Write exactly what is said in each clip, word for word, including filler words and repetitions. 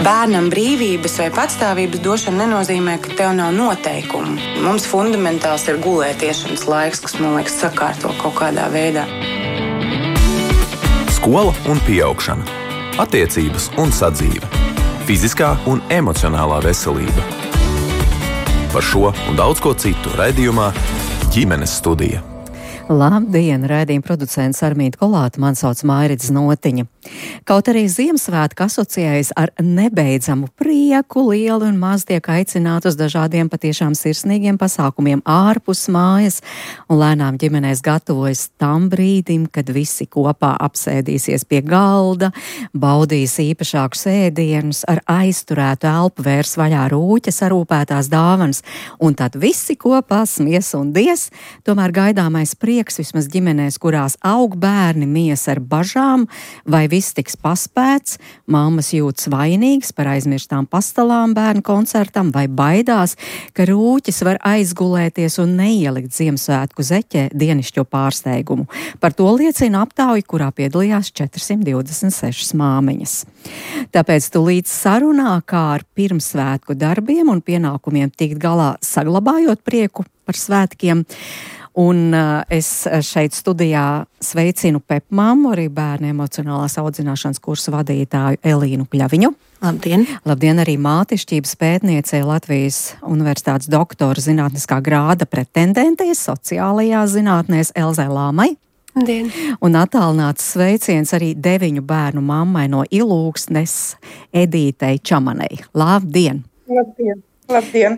Bērnam brīvības vai patstāvības došana nenozīmē, ka tev nav noteikumu. Mums fundamentāls ir gulētiešanas laiks, kas, man liekas, sakārto kaut kādā veidā. Skola un pieaugšana, attiecības un sadzīve, fiziskā un emocionālā veselība. Par šo un daudz ko citu raidījumā Ģimenes studija. Labdien, raidījuma producents Armīta Kolāta, man sauc Mairits Notiņa. Kaut arī Ziemassvētki asociējas ar nebeidzamu prieku, lielu un maz tiek aicināt uz dažādiem patiešām sirsnīgiem pasākumiem ārpus mājas, un lēnām ģimenēs gatavojas tam brīdim, kad visi kopā apsēdīsies pie galda, baudīs īpašākus ēdienus, ar aizturētu elpu vērs vaļā rūķa sarūpētās dāvanas, un tad visi kopā smies un dies, tomēr gaidāmais prieks vismaz ģimenēs, kurās aug bērni, mies ar bažām, vai viss tiks paspēts, mammas jūtas vainīgas par aizmirstām pastalām bērnu koncertam, vai baidās, ka rūķis var aizgulēties un neielikt Ziemassvētku zeķē dienišķo pārsteigumu. Par to liecina aptauja, kurā piedalījās četras divdesmit sešas māmiņas. Tāpēc tūlīt sarunā, kā ar pirmsvētku darbiem un pienākumiem tikt galā, saglabājot prieku par svētkiem. Un uh, es šeit studijā sveicinu Pepmammu, arī bērnu emocionālās audzināšanas kursu vadītāju Elīnu Kļaviņu. Labdien! Labdien arī mātišķības pētniecei Latvijas Universitātes doktora zinātniskā grāda pretendentei sociālajās zinātnēs Elzai Lāmai. Labdien! Un attālināts sveiciens arī deviņu bērnu mammai no Ilūgsnes Edītei Čamanei. Labdien! Labdien! Labdien!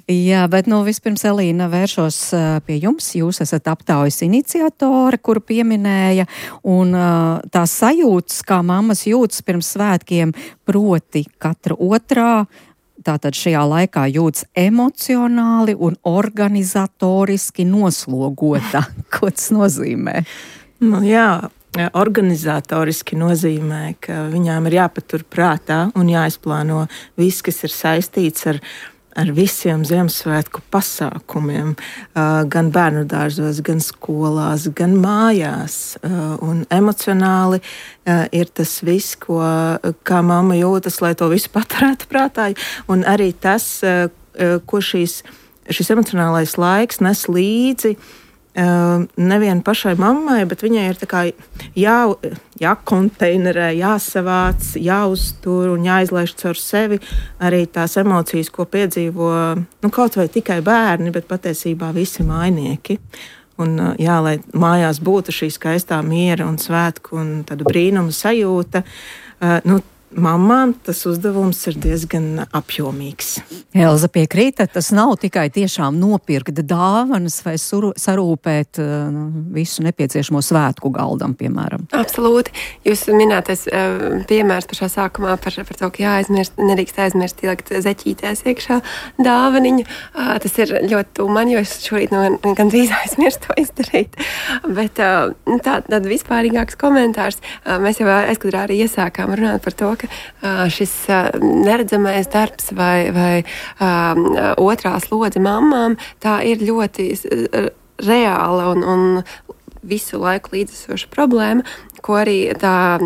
Jā, bet nu vispirms, Elīna, vēršos uh, pie jums. Jūs esat aptaujas iniciatore, kuru pieminēja, un uh, tās sajūtas, kā mammas jūtas pirms svētkiem, proti katra otrā, tātad šajā laikā jūtas emocionāli un organizatoriski noslogota. Ko tas nozīmē? Nu, jā. Organizatoriski nozīmē, ka viņām ir jāpatur prātā un jāizplāno viss, kas ir saistīts ar, ar visiem Ziemassvētku pasākumiem, gan bērnu dārzos, gan skolās, gan mājās. Un emocionāli ir tas viss, ko, kā mamma jūtas, lai to visu paturētu prātā. Un arī tas, ko šīs, šis emocionālais laiks nes līdzi, Uh, nevien pašai mammai, bet viņai ir tā kā jā, jākonteinerē, jāsavāc, jāuztur un jāizlaiž caur sevi arī tās emocijas, ko piedzīvo nu, kaut vai tikai bērni, bet patiesībā visi mājnieki. Un, uh, jā, lai mājās būtu šī skaistā miera un svētku un tāda brīnuma sajūta, uh, nu, mammām tas uzdevums ir diezgan apjomīgs. Elza piekrīta, tas nav tikai tiešām nopirkt dāvanas vai suru, sarūpēt uh, visu nepieciešamo svētku galdam, piemēram. Absolūti. Jūs minētais uh, piemērs pašā sākumā par, par to, ka jāaizmirst, nedrīkst aizmirst ielikt zeķītēs iekšā dāvaniņu. Uh, tas ir ļoti tuvu man, jo es šorīt no, gandrīz aizmirstu to izdarīt. Bet uh, tā, tāda vispārīgāks komentārs. Uh, mēs jau aizkadrā arī iesākām runāt par to, ka uh, šis uh, neredzamais darbs vai, vai uh, otrā slodze mammām, tā ir ļoti uh, reāla un, un visu laiku līdzesoša problēma, ko arī tā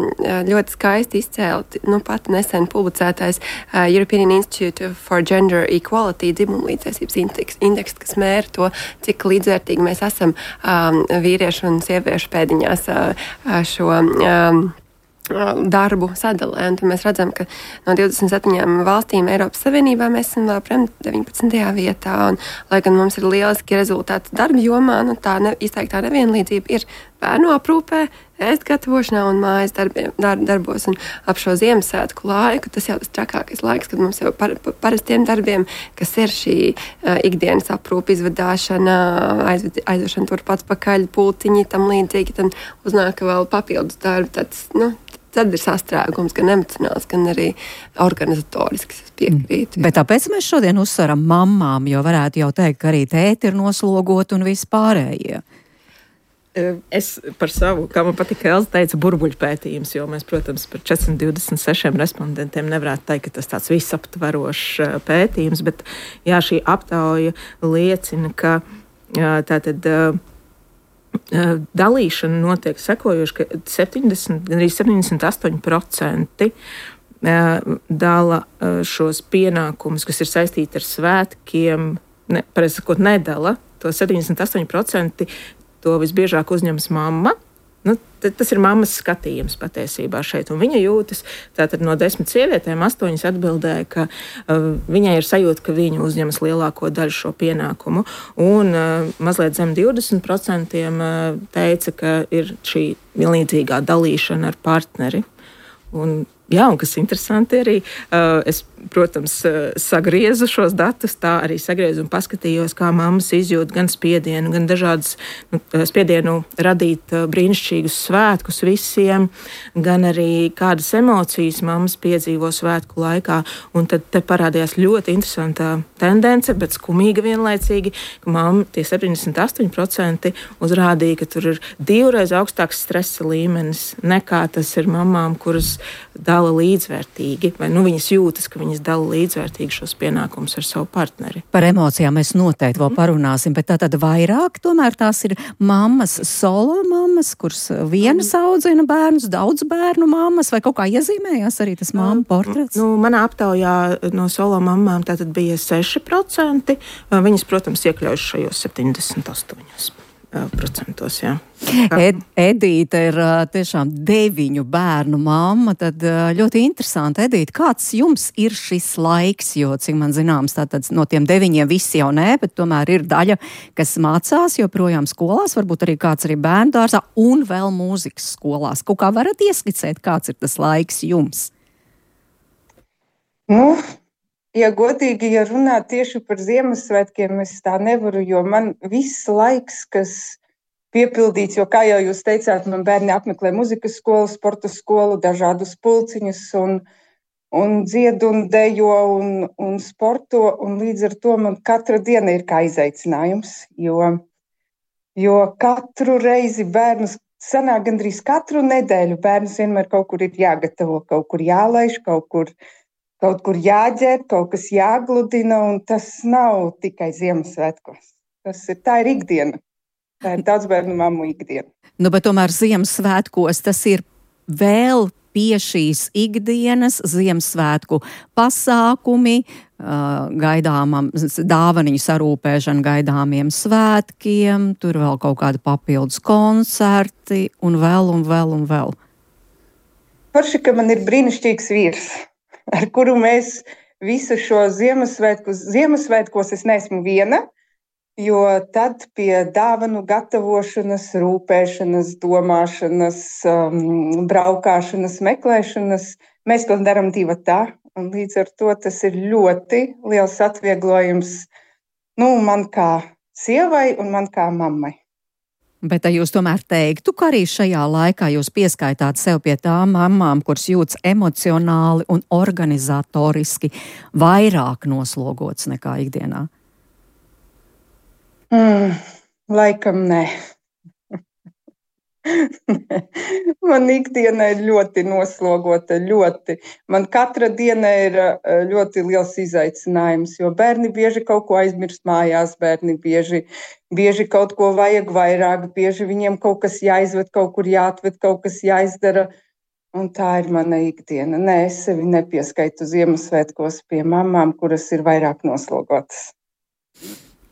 ļoti skaisti izcēla, nu pat nesen publicētais uh, European Institute for Gender Equality dzimumlīdztiesības indeks, indeks, kas mēra to, cik līdzvērtīgi mēs esam um, vīriešu un sieviešu pēdiņās uh, šo um, darbu sadalē. Un tad mēs redzam, ka no divdesmit septiņām valstīm Eiropas Savienībā mēs esam vēl prem deviņpadsmitajā vietā. Un, lai gan mums ir lieliski rezultāti darba jomā, nu, tā ne, izteiktā nevienlīdzība ir bērnu aprūpē, ēst gatavošanā un mājas darbiem, dar, darbos. Un ap šo Ziemassvētku laiku tas jau tas trakākais laiks, kad mums jau par, par parastiem darbiem, kas ir šī uh, ikdienas aprūpe, izvadāšana, aizved, aizvešana turpat pakaļ, pulciņi, tam līdzīgi, tam uznāk vēl papildus darbi. Tāds, nu, tad ir sastrēgums gan emocionāls, gan arī organizatorisks. Es piekrītu. Bet tāpēc mēs šodien uzsveram mammām, jo varētu jau teikt, ka arī tēti ir noslogoti un viss pārējie. Es par savu, kā man patika Elza teica, burbuļu pētījums, jo mēs, protams, par četras divdesmit sešiem respondentiem nevarētu teikt, ka tas tāds visaptverošs pētījums, bet jā, šī aptauja liecina, ka tātad dalīšana notiek sekojoši, ka septiņdesmit, gandrīz septiņdesmit astoņi procenti dala šos pienākumus, kas ir saistīti ar svētkiem, ne, pareizi sakot, nedala. To septiņdesmit astoņi procenti to visbiežāk uzņems mamma. Nu, tas ir mammas skatījums patiesībā šeit, un viņa jūtas, tātad no desmit sievietēm astoņas atbildēja, ka uh, viņai ir sajūta, ka viņa uzņemas lielāko daļu šo pienākumu, un uh, mazliet zem divdesmit procenti uh, teica, ka ir šī vienlīdzīgā dalīšana ar partneri. Un, jā, un kas interesanti arī, uh, es, protams, uh, sagriezu šos datus, tā arī sagriezu un paskatījos, kā mammas izjūt gan spiedienu, gan dažādas nu, spiedienu radīt uh, brīnišķīgus svētkus visiem, gan arī kādas emocijas mammas piedzīvo svētku laikā. Un tad te parādījās ļoti interesantā tendence, bet skumīga vienlaicīgi, ka mamma tie septiņdesmit astoņi procenti uzrādīja, ka tur ir divreiz augstāks stresa līmenis nekā tas ir mamām, kuras dala līdzvērtīgi, vai nu viņas jūtas, ka viņas dala līdzvērtīgi šos pienākumus ar savu partneri. Par emocijām mēs noteikti vēl parunāsim, bet tā tad vairāk tomēr tās ir mammas, solo mammas, kuras vienas audzina bērnus, daudz bērnu mammas, vai kaut kā iezīmējās arī tas mammu portrets? Nu, manā aptaujā no solo mammām tātad bija seši procenti. Viņas, protams, iekļaujas šajos septiņdesmit astoņos procentos, jā. Ed, Edīte ir tiešām deviņu bērnu mamma, tad ļoti interesanti. Edīte, kāds jums ir šis laiks, jo, cik man zināms, tātad no tiem deviņiem visi jau nē, bet tomēr ir daļa, kas mācās joprojām skolās, varbūt arī kāds arī bērnu dārzā un vēl mūzikas skolās. Kaut kā varat ieskicēt, kāds ir tas laiks jums? Nu, ja godīgi, ja runā tieši par Ziemassvētkiem, es tā nevaru, jo man viss laiks, kas piepildīts, jo, kā jau jūs teicāt, man bērni apmeklē muzikas skolu, sporta skolu, dažādus pulciņus un, un dzied un dejo un, un sporto, un līdz ar to man katra diena ir kā izaicinājums, jo, jo katru reizi bērnus sanāk gandrīz katru nedēļu bērnus vienmēr kaut kur ir jāgatavo, kaut kur jālaiž, kaut kur Kaut kur jāģēr, kaut kas jāgludina, un tas nav tikai Ziemassvētkos. Tas ir, tā ir ikdiena. Tā ir daudzbērnu mammu ikdiena. Nu, bet tomēr Ziemassvētkos tas ir vēl pie šīs ikdienas Ziemassvētku pasākumi, gaidāmam dāvaniņu sarūpēšana gaidāmiem svētkiem, tur vēl kaut kādi papildus koncerti, un vēl, un vēl, un vēl. Forši, ka man ir brīnišķīgs vīrs, ar kuru mēs visu šo Ziemassvētkus, Ziemassvētkos es neesmu viena, jo tad pie dāvanu gatavošanas, rūpēšanas, domāšanas, um, braukāšanas, meklēšanas, mēs to darām divi tā, un līdz ar to tas ir ļoti liels atvieglojums, nu, man kā sievai un man kā mammai. Bet ja jūs tomēr teiktu, ka arī šajā laikā jūs pieskaitāt sev pie tām mammām, kuras jūtas emocionāli un organizatoriski vairāk noslogots nekā ikdienā? Mm, laikam nē. Man ikdiena ir ļoti noslogota, ļoti. Man katra diena ir ļoti liels izaicinājums, jo bērni bieži kaut ko aizmirst mājās, bērni bieži, bieži kaut ko vajag vairāk, bieži viņiem kaut kas jāizved, kaut kur jāatved, kaut kas jāizdara. Un tā ir mana ikdiena. Nē, es sevi nepieskaitu Ziemassvētkos pie mamām, kuras ir vairāk noslogotas.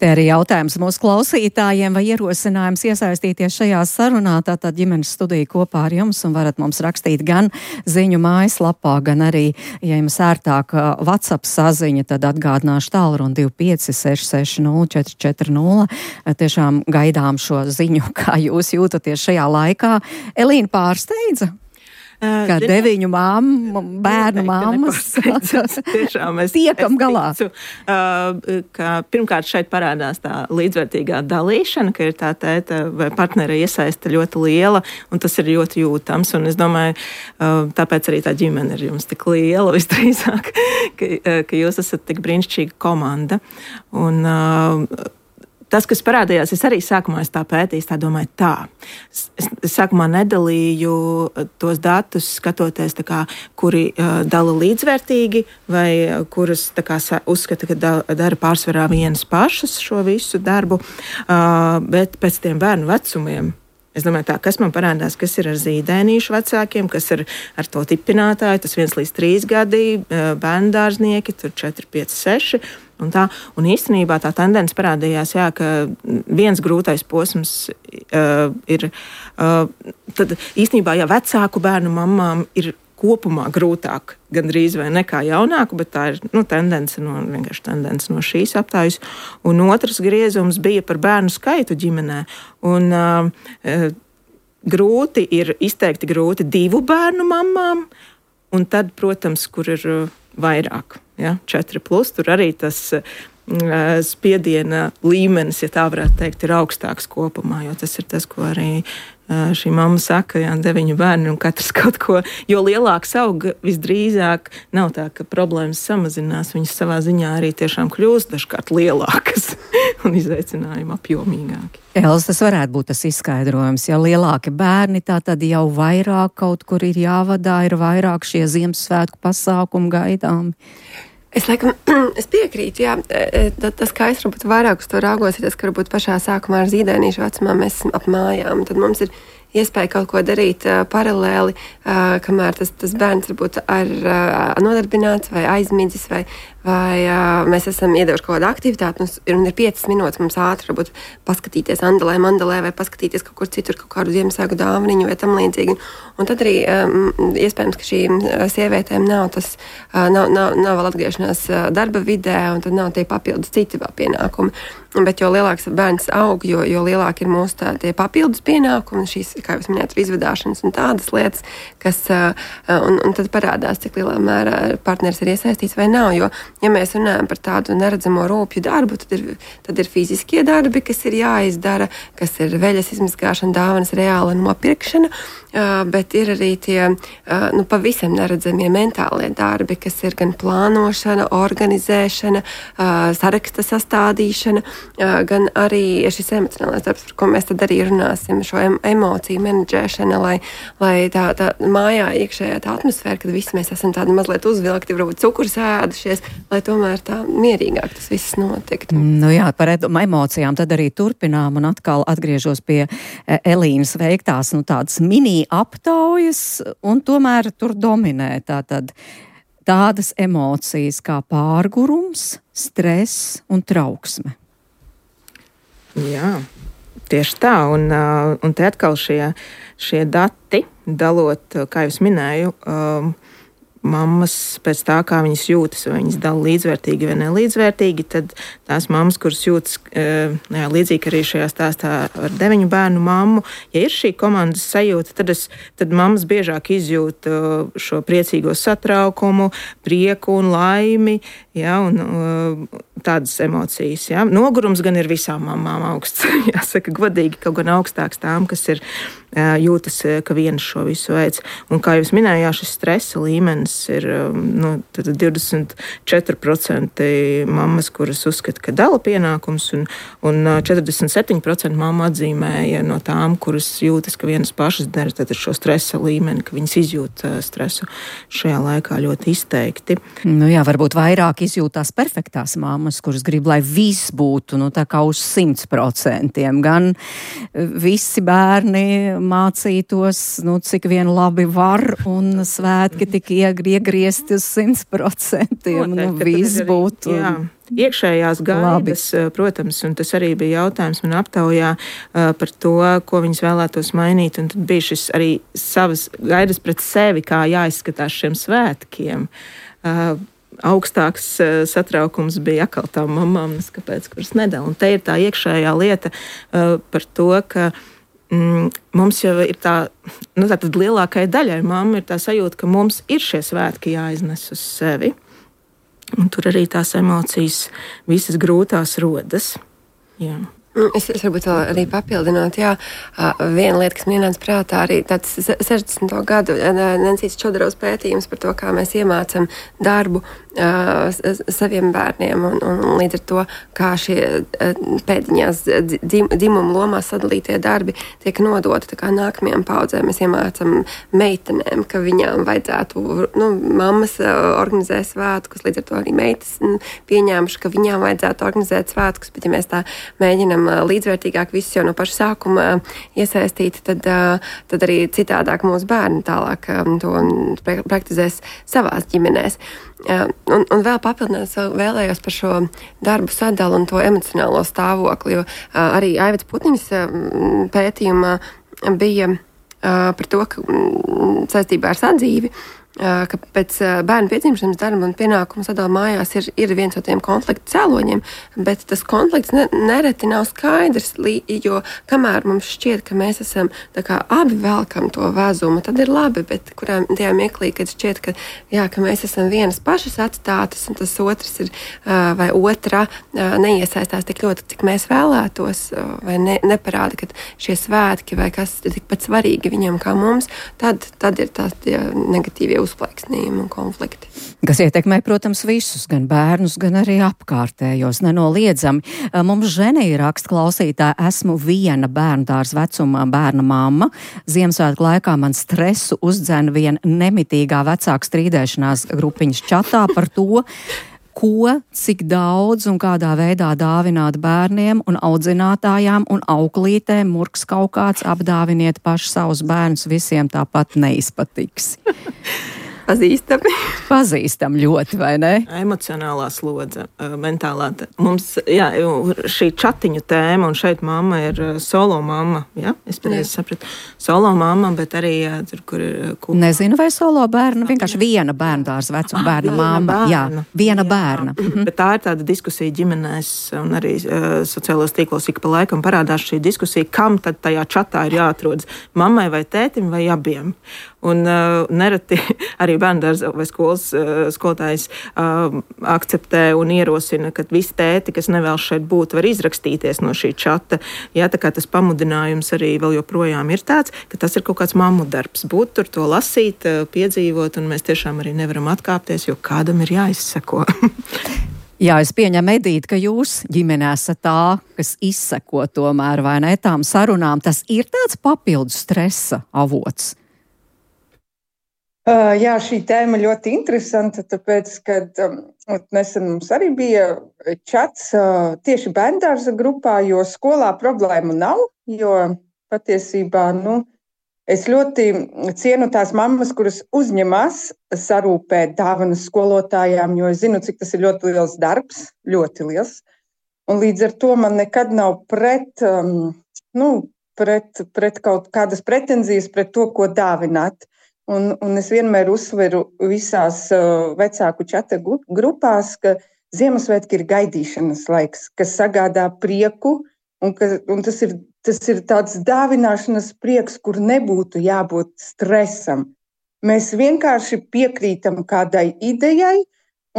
Te arī jautājums mūsu klausītājiem vai ierosinājums iesaistīties šajā sarunā. Tātad ģimenes studija kopā ar jums un varat mums rakstīt gan ziņu mājaslapā, gan arī, ja jums ērtāk WhatsApp saziņa, tad atgādināšu tālruni divi pieci seši seši nulle četri četri nulle. Tiešām gaidām šo ziņu, kā jūs jūtaties šajā laikā. Elīna pārsteidza? Kā deviņu māmu, bērnu māmas. Tiešām es tiekam galā. Ticu, ka pirmkārt šeit parādās tā līdzvērtīgā dalīšana, ka ir tā tēta vai partnera iesaista ļoti liela, un tas ir ļoti jūtams. Un es domāju, tāpēc arī tā ģimene ir jums tik liela visdrīzāk, ka, ka jūs esat tik brīnišķīga komanda. Un tas, kas parādījās, es arī sākumā es tā pētīju, tā domāju tā. Es, es sākumā nedalīju tos datus, skatoties, tā kā, kuri uh, dala līdzvērtīgi vai kuras tā kā, uzskata, ka da, dara pārsvarā vienas pašas šo visu darbu, uh, bet pēc tiem bērnu vecumiem. Es domāju, tā, kas man parādās, kas ir ar zīdainīšu vecākiem, kas ir ar to tipinātāju, tas viens līdz trīs gadi, bērndārznieki, tur četri, pieci, seši. Un, tā, un īstenībā tā tendence parādījās, jā, ka viens grūtais posms uh, ir, uh, tad īstenībā, ja vecāku bērnu mamām ir kopumā grūtāk, gandrīz vai nekā jaunāku, bet tā ir nu, tendence no, vienkārši tendence no šīs aptājas. Un otrs griezums bija par bērnu skaitu ģimenē. Un uh, grūti ir, izteikti grūti divu bērnu mamām, un tad, protams, kur ir uh, vairāk, ja, četri plus, tur arī tas uh, spiediena līmenis, ja tā varētu teikt, ir augstāks kopumā, jo tas ir tas, ko arī šī mamma saka, jā, deviņu bērni un katrs kaut ko, jo lielāks aug, visdrīzāk nav tā, ka problēmas samazinās, viņas savā ziņā arī tiešām kļūst dažkārt lielākas un izaicinājumi apjomīgāki. Els, tas varētu būt tas izskaidrojums, ja lielāki bērni, tā tad jau vairāk kaut kur ir jāvadā, ir vairāk šie Ziemassvētku pasākumu gaidāmi. Es laikam, es piekrītu, jā, tas, kā es varbūt vairāk uz to raugos, ir tas, ka varbūt pašā sākumā ar zīdainīšu vecumā mēs esam ap mājām, tad mums ir iespēja kaut ko darīt uh, paralēli, uh, kamēr tas, tas bērns varbūt ar uh, nodarbināts vai aizmidzis vai, vai uh, mēs esam iedevuši kaut kādu aktivitāti un ir piecas minūtes mums ātri varbūt paskatīties Andalē, Mandalē vai paskatīties kaut kur citur, kaut kādu Ziemassvētku dāvaniņu vai tam līdzīgi. Un tad arī um, iespējams, ka šīm sievietēm nav tas, uh, nav, nav, nav vēl atgriešanās uh, darba vidē un tad nav tie papildus citi vēl pienākumi. Bet jo lielāks bērns aug, jo, jo lielāki ir mūsu tā, tie papildus pienākumi, šīs, kā jūs minējāt, izvadāšanas un tādas lietas, kas, un, un tad parādās, cik lielā mērā partneris ir iesaistīts vai nav. Jo, ja mēs runājam par tādu neredzamo rūpju darbu, tad ir, tad ir fiziskie darbi, kas ir jāizdara, kas ir veļas izmazgāšana, dāvanas reāla nopirkšana, bet ir arī tie nu, pavisam neredzamie mentālie darbi, kas ir gan plānošana, organizēšana, saraksta sastādīšana, gan arī šis emocionālais darbs, par ko mēs tad arī runāsim, šo emociju menedžēšana, lai, lai tā, tā mājā iekšējā tā atmosfēra, kad visi mēs esam tādi mazliet uzvilkti, varbūt cukurs ēdušies, lai tomēr tā mierīgāk tas viss notiktu. Nu jā, par emocijām tad arī turpinām un atkal atgriežos pie Elīnas veiktās, nu tādas mini aptaujas, un tomēr tur dominē tātad tādas emocijas kā pārgurums, stress un trauksme. Jā, tieši tā, un, un te atkal šie, šie dati, dalot, kā jau es minēju, um, mammas pēc tā, kā viņas jūtas, vai viņas dala līdzvērtīgi vai nelīdzvērtīgi, tad tās mammas, kuras jūtas jā, līdzīgi arī šajā stāstā ar deviņu bērnu mammu, ja ir šī komandas sajūta, tad, es, tad mammas biežāk izjūt šo priecīgo satraukumu, prieku un laimi, jā, un tādas emocijas. Jā. Nogurums gan ir visām mamām augsts, jāsaka godīgi, kaut gan augstāks tām, kas ir jūtas, ka viens šo visu veids. Un kā jūs minējāt, šis stresa līmenis ir nu, divdesmit četri procenti mammas, kuras uzskata, ka dala pienākums, un, un četrdesmit septiņi procenti mamma atzīmēja no tām, kuras jūtas, ka vienas pašas dara tad šo stresa līmeni, ka viņas izjūt stresu šajā laikā ļoti izteikti. Nu jā, varbūt vairāk izjūtās perfektās mammas, kuras grib, lai viss būtu nu, tā kā uz simts procentiem. Gan visi bērni mācītos, nu, cik vien labi var, un svētki tik iegriezti uz simts procentiem. Nu, viss arī, būtu. Jā. Iekšējās gaidas, labi. Protams, un tas arī bija jautājums man aptaujā uh, par to, ko viņas vēlētos mainīt, un tad bija šis arī savas gaidas pret sevi, kā jāizskatās šiem svētkiem. Uh, augstāks uh, satraukums bija atkal tām mamām, kāpēc, kuras nedēļ. Un te ir tā iekšējā lieta uh, par to, ka mm, mums jau ir tā, nu tā tad lielākai daļai mamma ir tā sajūta, ka mums ir šie svētki jāiznes uz sevi. Un tur arī tās emocijas visas grūtās rodas. Jā. Es, es varbūt vēl arī papildinot, jā, viena lieta, kas man ienāca prātā, arī tāds sešdesmito gadu Nencītas Čodarovas pētījums par to, kā mēs iemācam darbu uh, saviem bērniem, un, un līdz ar to, kā šie pēdiņās dzim, dzimumu lomās sadalītie darbi tiek nodoti tā kā nākamajām paudzēm. Mēs iemācam meitenēm, ka viņām vajadzētu, nu, mammas organizē svētkus, līdz ar to arī meitas pieņēmuši, ka viņām vajadzētu organizēt svētkus, bet ja mēs tā mēģinam esam līdzvērtīgāk visi jau no paša sākuma iesaistīti, tad, tad arī citādāk mūsu bērni tālāk to praktizēs savās ģimenēs. Un, un vēl papildināt, vēlējos par šo darbu sadalu un to emocionālo stāvokli, jo arī Aivets Putniņas pētījumā bija par to, ka saistībā ar sadzīvi, ka pēc bērnu piedzimšanas darba un pienākumu sadala mājās ir, ir viens no tiem konflikta cēloņiem, bet tas konflikts ne, nereti nav skaidrs, jo kamēr mums šķiet, ka mēs esam tā kā abi velkam to vezumu, tad ir labi, bet kurā tajā mirklī, kad šķiet, ka, jā, ka mēs esam vienas pašas atstātas un tas otrs ir vai otra neiesaistās tik ļoti, cik mēs vēlētos, vai ne, neparāda, ka šie svētki vai kas ir tikpat svarīgi viņam kā mums, tad, tad ir tās negatīvie uzplaiksnījumi un konflikti. Kas ietekmē, protams, visus, gan bērnus, gan arī apkārtējos, nenoliedzami. Mums Ženija raksta klausītāja, esmu viena bērndārs vecumā bērna mamma. Ziemassvētku laikā man stresu uzdzēna vien nemitīgā vecāku strīdēšanās grupiņas čatā par to, ko, cik daudz un kādā veidā dāvināt bērniem un audzinātājām un auklītēm, murks kaut kāds, apdāviniet paši savus bērnus, visiem tāpat neizpatiks. Pazīstami. Pazīstam ļoti, vai ne? Emocionālā slodze, mentālā. Mums, jā, šī čatiņu tēma, un šeit mamma ir solo mamma, jā? Es pareizi sapratu. Solo mamma, bet arī, jā, tur, kur ir... Kur... Nezinu, vai solo bērna, vienkārši viena bērndārs vecuma bērna mamma. Jā, viena bērna. Mhm. Bet tā ir tāda diskusija ģimenēs, un arī uh, sociālos tīklos ik pa laikam parādās šī diskusija, kam tad tajā čatā ir jāatrodas, mammai vai tētim vai abiem. Un uh, nereti arī bērndārza vai skolas uh, skolotājs uh, akceptē un ierosina, ka visi tēti, kas nevēlas šeit būt, var izrakstīties no šī čata. Jā, tā kā tas pamudinājums arī vēl joprojām ir tāds, ka tas ir kaut kāds mammu darbs. Būt tur, to lasīt, uh, piedzīvot, un mēs tiešām arī nevaram atkāpties, jo kādam ir jāizseko. Jā, es pieņemu, Edīte, ka jūs ģimenē esat tā, kas izseko tomēr, vai ne, tām sarunām. Tas ir tāds papildus stresa avots. Uh, jā, šī tēma ļoti interesanta, tāpēc, kad um, nesen mums arī bija čats uh, tieši bērndārza grupā, jo skolā problēmu nav, jo patiesībā, nu, es ļoti cienu tās mammas, kuras uzņemās sarūpēt dāvanas skolotājām, jo es zinu, cik tas ir ļoti liels darbs, ļoti liels, un līdz ar to man nekad nav pret, um, nu, pret, pret kaut kādas pretenzijas pret to, ko dāvināt. Un, un es vienmēr uzsveru visās uh, vecāku čata grupās, ka Ziemassvētki ir gaidīšanas laiks, kas sagādā prieku, un, ka, un tas, ir, tas ir tāds dāvināšanas prieks, kur nebūtu jābūt stresam. Mēs vienkārši piekrītam kādai idejai,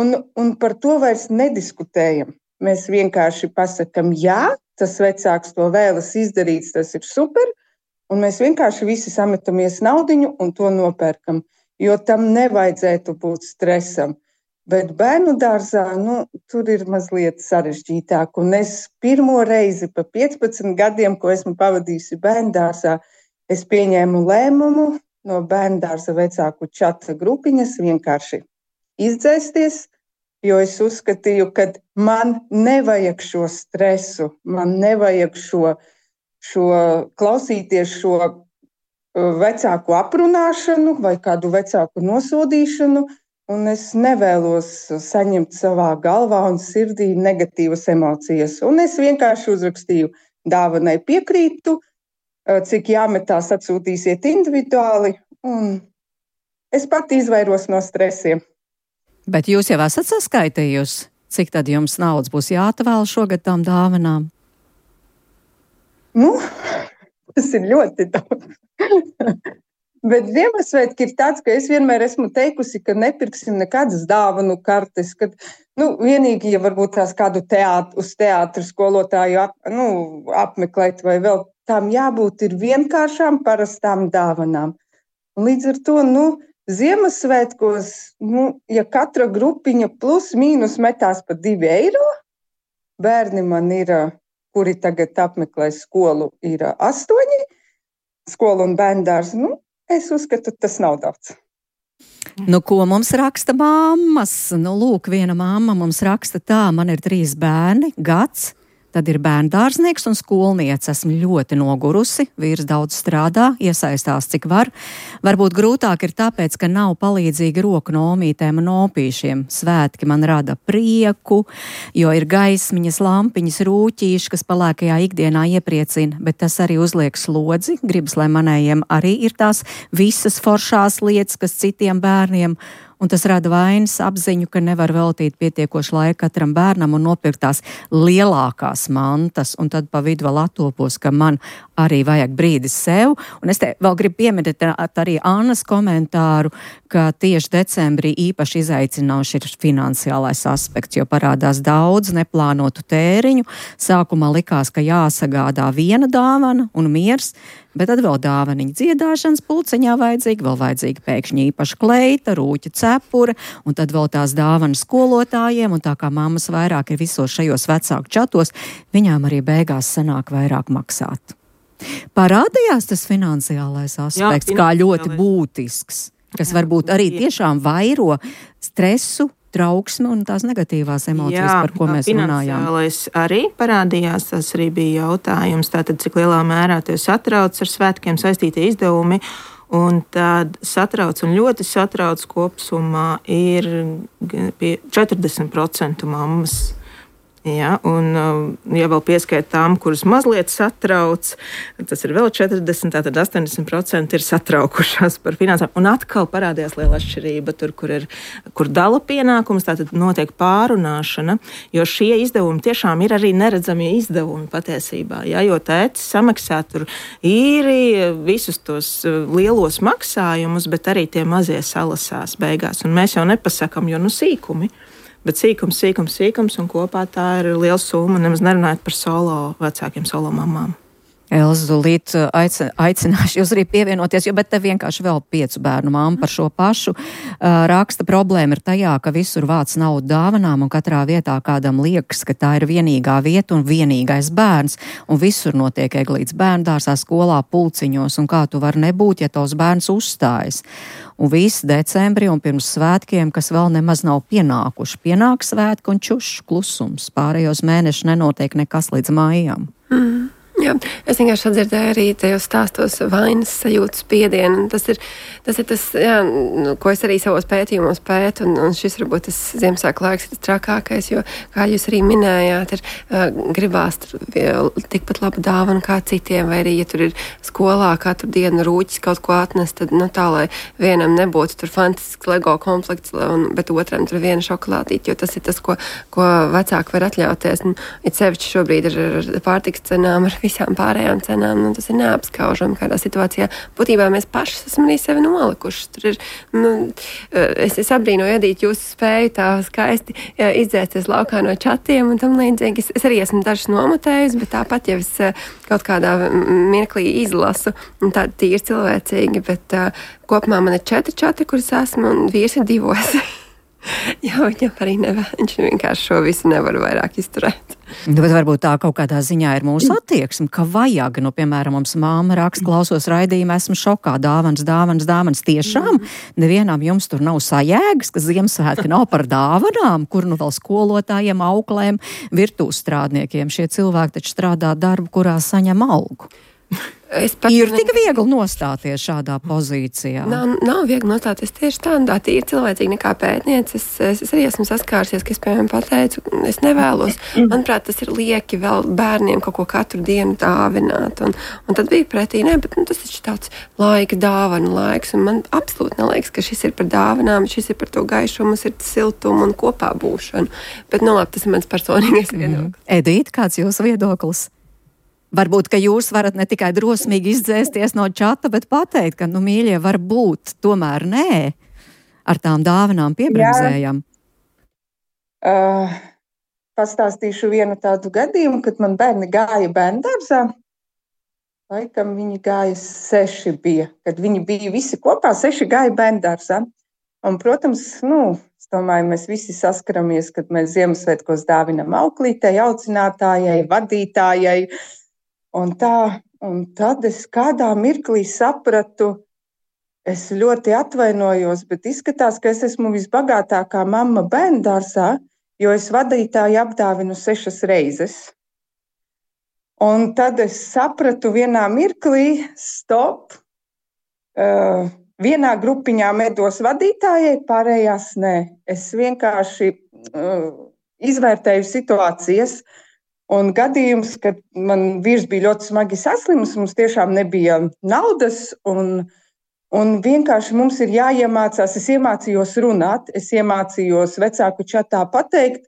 un, un par to vairs nediskutējam. Mēs vienkārši pasakam, jā, tas vecāks to vēlas izdarīt, tas ir super, un mēs vienkārši visi sametamies naudiņu un to nopērkam, jo tam nevajadzētu būt stresam. Bet bērnu dārzā, nu, tur ir mazliet sarežģītāk. Un es pirmo reizi pa piecpadsmit gadiem, ko esmu pavadījusi bērnu dārzā, es pieņēmu lēmumu no bērnu dārza vecāku čata grupiņas vienkārši izdzēsties, jo es uzskatīju, ka man nevajag šo stresu, man nevajag šo šo klausīties šo vecāku aprunāšanu vai kādu vecāku nosodīšanu, un es nevēlos saņemt savā galvā un sirdī negatīvas emocijas. Un es vienkārši uzrakstīju, dāvanai piekrītu, cik jāmetās atsūtīsiet individuāli, un es pat izvairos no stresiem. Bet jūs jau esat saskaitījusi, cik tad jums naudas būs jāatvēl šogad tām dāvanām? Nu, tas ir ļoti daudz. Bet Ziemassvētki ir tāds, ka es vienmēr esmu teikusi, ka nepirksim nekādas dāvanu kartes, kad, nu, vienīgi, ja varbūt tās kādu teātru, uz teātru skolotāju ap, nu, apmeklēt vai vēl, tām jābūt ir vienkāršām parastām dāvanām. Un līdz ar to, nu, Ziemassvētkos, nu, ja katra grupiņa plus mīnus metās pa divi eiro, bērni man ir, kuri tagad apmeklē skolu, ir astoņi, skolu un bērndārs. Nu, es uzskatu, tas nav daudz. Nu, ko mums raksta mammas? Nu, lūk, viena mamma mums raksta tā, man ir trīs bērni, gads, Tad ir bērndārznieks un skolniece. Esmu ļoti nogurusi, vīrs daudz strādā, iesaistās cik var. Varbūt grūtāk ir tāpēc, ka nav palīdzīgi roku no omītēm un opīšiem. Svētki man rada prieku, jo ir gaismiņas, lampiņas, rūķīši, kas palēkajā ikdienā iepriecina, bet tas arī uzliek slodzi. Gribas, lai manējiem arī ir tās visas foršās lietas, kas citiem bērniem, un tas rada vainas apziņu, ka nevar veltīt pietiekoši laika katram bērnam un nopirkt tās lielākās mantas, un tad pa vidu vēl attopos, ka man arī vajag brīdi sev. Un es te vēl gribu pieminēt arī Annas komentāru, ka tieši decembrī īpaši izaicinoši ir finansiālais aspekts, jo parādās daudz neplānotu tēriņu. Sākumā likās, ka jāsagādā viena dāvana un miers, bet tad vēl dāvaniņa dziedāšanas pulciņā vajadzīga, vēl vajadzīga pēkšņi īpaša kleita, rūķa cepura, un tad vēl tās dāvanas skolotājiem, un tā kā mammas vairāk ir visos šajos vecāku čatos, viņām arī beigās sanāk vairāk maksāt. Parādījās tas finansiālais aspekts, Jā, kā ļoti būtisks, kas Jā, varbūt arī tiešām vairo stresu, trauksmi un tās negatīvās emocijas, Jā, par ko mēs runājām. Finansiālais arī parādījās, tas arī bija jautājums, tātad cik lielā mērā tie satrauc ar svētkiem saistītie izdevumi, un tad satrauc un ļoti satrauc kopsumā ir pie četrdesmit procenti mammas. Ja, un, ja vēl pieskait tām, kuras mazliet satrauc, tas ir vēl četrdesmit, tātad astoņdesmit procenti ir satraukušās par finansām. Un atkal parādījās liela atšķirība tur, kur, ir, kur dala pienākums, tātad notiek pārunāšana, jo šie izdevumi tiešām ir arī neredzamie izdevumi patiesībā. Ja, jo tētis samaksā tur īri visus tos lielos maksājumus, bet arī tie mazie salasās beigās. Un mēs jau nepasakam, jo nu sīkumi. Bet sīkums, sīkums, sīkums, un kopā tā ir liela summa, nemaz nerunājot par solo vecākiem, solo mamām. Elza, Līt, aicināšu jūs arī pievienoties, jo bet te vienkārši vēl piecu bērnu mamma par šo pašu uh, raksta. Problēma ir tajā, ka visur vāc naudu dāvanām un katrā vietā kādam liekas, ka tā ir vienīgā vieta un vienīgais bērns, un visur notiek eglītes bērndārsā, skolā, pulciņos, un kā tu var nebūt, ja tavs bērns uzstājas. Un viss decembrī un pirms svētkiem, kas vēl nemaz nav pienākuši. Pienāk svētki un čušs klusums. Pārējos mēnešus nenotiek nekas līdz mājām. Mm. Jā, es vienkārši atdzirdēju arī tajos stāstos vainas sajūtas spiedienu. Tas ir tas, ir tas jā, ko es arī savos pētījumos pētu, un, un šis varbūt tas Ziemassvētku laiks ir tas trakākais, jo, kā jūs arī minējāt, ir uh, gribās tur tikpat labu dāvanu kā citiem, vai arī, ja tur ir skolā katru dienu rūķis kaut ko atnest, tad, nu, tā, lai vienam nebūtu tur fantastisks Lego komplekts, un, bet otram tur viena šokolādīte, jo tas ir tas, ko, ko vecāki var atļauties. Un, it sevišķi šobrīd ar, ar pārtikas cenām, ar visām pārējām cenām, nu, tas ir neapskaužami kādā situācijā. Būtībā mēs paši esam arī sevi nolikuši. Tur ir, nu, es, es abrīnoju, Edīt, jūsu spēju tā skaisti jā, izdzēsties laukā no čatiem un tam līdzīgi. Es, es arī esmu dažas nomotējusi, bet tāpat jau es kaut kādā mirklī izlasu, un tādi tīri cilvēcīgi, bet uh, kopumā man ir četri čati, kuras esmu, un vīrs ir divos. Jā, viņam arī nevar, viņš vienkārši šo visu nevar vairāk izturēt. Bet varbūt tā kaut kādā ziņā ir mūsu attieksme, ka vajag, nu, piemēram, mums māma raksta, klausos raidījumu, esmu šokā, dāvanas, dāvanas, dāvanas. Tiešām nevienam jums tur nav sajēgas, ka Ziemassvētki nav par dāvanām, kur nu vēl skolotājiem, auklēm, virtuves strādniekiem. Šie cilvēki taču strādā darbu, kurā saņem algu. Ir tik viegli nostāties šādā pozīcijā? Nav, nav viegli nostāties tieši tādā, tīri cilvēcīgi nekā pētniece. Es, es, es arī esmu saskārsies, ka es, piemēram, pateicu, es nevēlos. Manuprāt, tas ir lieki vēl bērniem kaut ko katru dienu dāvināt. Un, un tad bija pretī, ne, bet nu, tas ir tāds laika dāvana laiks. Un man absolūti neliekas, ka šis ir par dāvanām, šis ir par to gaišumu, ir siltumu un kopā būšanu. Bet, nu, labi, tas ir mans personīgais viedoklis. Mm. Edīt, kāds jūsu viedoklis? Varbūt, ka jūs varat ne tikai drosmīgi izdzēsties no čata, bet pateikt, ka, nu, mīļie, var būt, tomēr nē, ar tām dāvanām piebremzējam. Uh, pastāstīšu vienu tādu gadījumu, kad man bērni gāja bērndārzā. Laikam viņi gāja seši bija, kad viņi bija visi kopā, seši gāja bērndārzā. Un, protams, nu, es domāju, mēs visi saskaramies, kad mēs Ziemassvētkos dāvinam auklītei, audzinātājai, vadītājai. Un, tā, un tad es kādā mirklī sapratu, es ļoti atvainojos, bet izskatās, ka es esmu visbagātākā mamma bērndārzā, jo es vadītāju apdāvinu sešas reizes. Un tad es sapratu vienā mirklī, stop, uh, vienā grupiņā medos vadītājai, pārējās nē. Es vienkārši uh, izvērtēju situācijas un gadījums, kad man vīrs bija ļoti smagi saslims, mums tiešām nebija naudas un, un vienkārši mums ir jāiemācās. Es iemācījos runāt, es iemācījos vecāku čatā pateikt,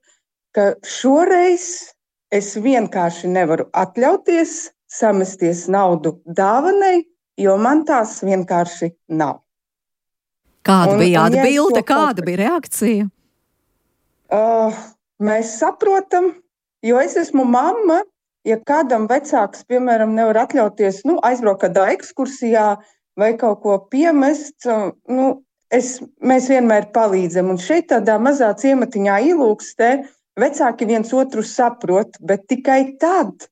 ka šoreiz es vienkārši nevaru atļauties samesties naudu dāvanai, jo man tās vienkārši nav. Kāda un, bija un, atbilde, ja kāda bija reakcija? Uh, mēs saprotam, jo es esmu mamma, ja kādam vecāks, piemēram, nevar atļauties, nu, aizbraukt kādā ekskursijā vai kaut ko piemest, nu, es, mēs vienmēr palīdzam. Un šeit tādā mazā ciematiņā Ilūkstē vecāki viens otru saprot, bet tikai tad,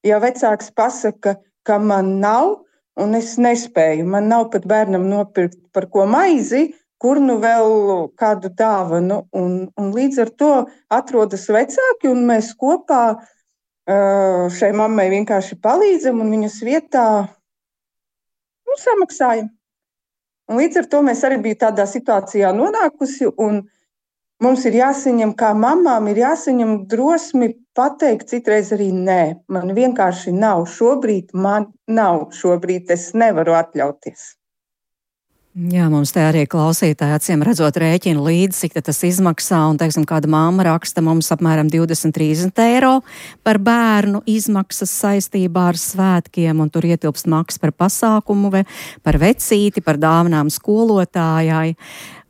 ja vecāks pasaka, ka man nav un es nespēju, man nav pat bērnam nopirkt par ko maizi, kur nu vēl kādu dāvanu. Un, un līdz ar to atrodas vecāki un mēs kopā uh, šai mammai vienkārši palīdzam un viņas vietā nu, samaksājam. Un līdz ar to mēs arī bija tādā situācijā nonākusi un mums ir jāsaņem, kā mamām, ir jāsaņem drosmi pateikt citreiz arī nē. Man vienkārši nav šobrīd, man nav šobrīd, es nevaru atļauties. Jā, mums te arī klausītāji acīm redzot rēķinu līdzi, cik tas izmaksā, un, teiksim, kāda mamma raksta mums apmēram divdesmit trīsdesmit eiro par bērnu izmaksas saistībā ar svētkiem, un tur ietilpst maksas par pasākumu, vai par vecīti, par dāvanām skolotājai,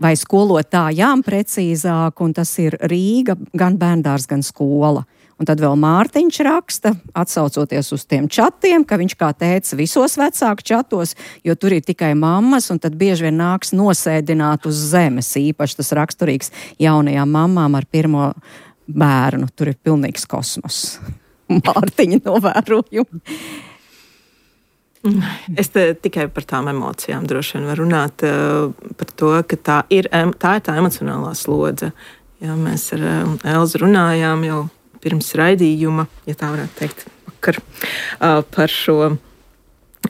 vai skolotājām precīzāk, un tas ir Rīga, gan bērndārs, gan skola. Un tad vēl Mārtiņš raksta, atsaucoties uz tiem čatiem, ka viņš kā teica visos vecāku čatos, jo tur ir tikai mammas, un tad bieži vien nāks nosēdināt uz zemes. Īpaši tas raksturīgs jaunajām mammām ar pirmo bērnu. Tur ir pilnīgs kosmos. Mārtiņa novērojumi. Es te tikai par tām emocijām droši vien varu runāt, uh, par to, ka tā ir tā, ir tā emocionālā slodze. Jā, mēs ar uh, Elzu runājām jau pirms raidījuma, ja tā varētu teikt, vakar, uh, par šo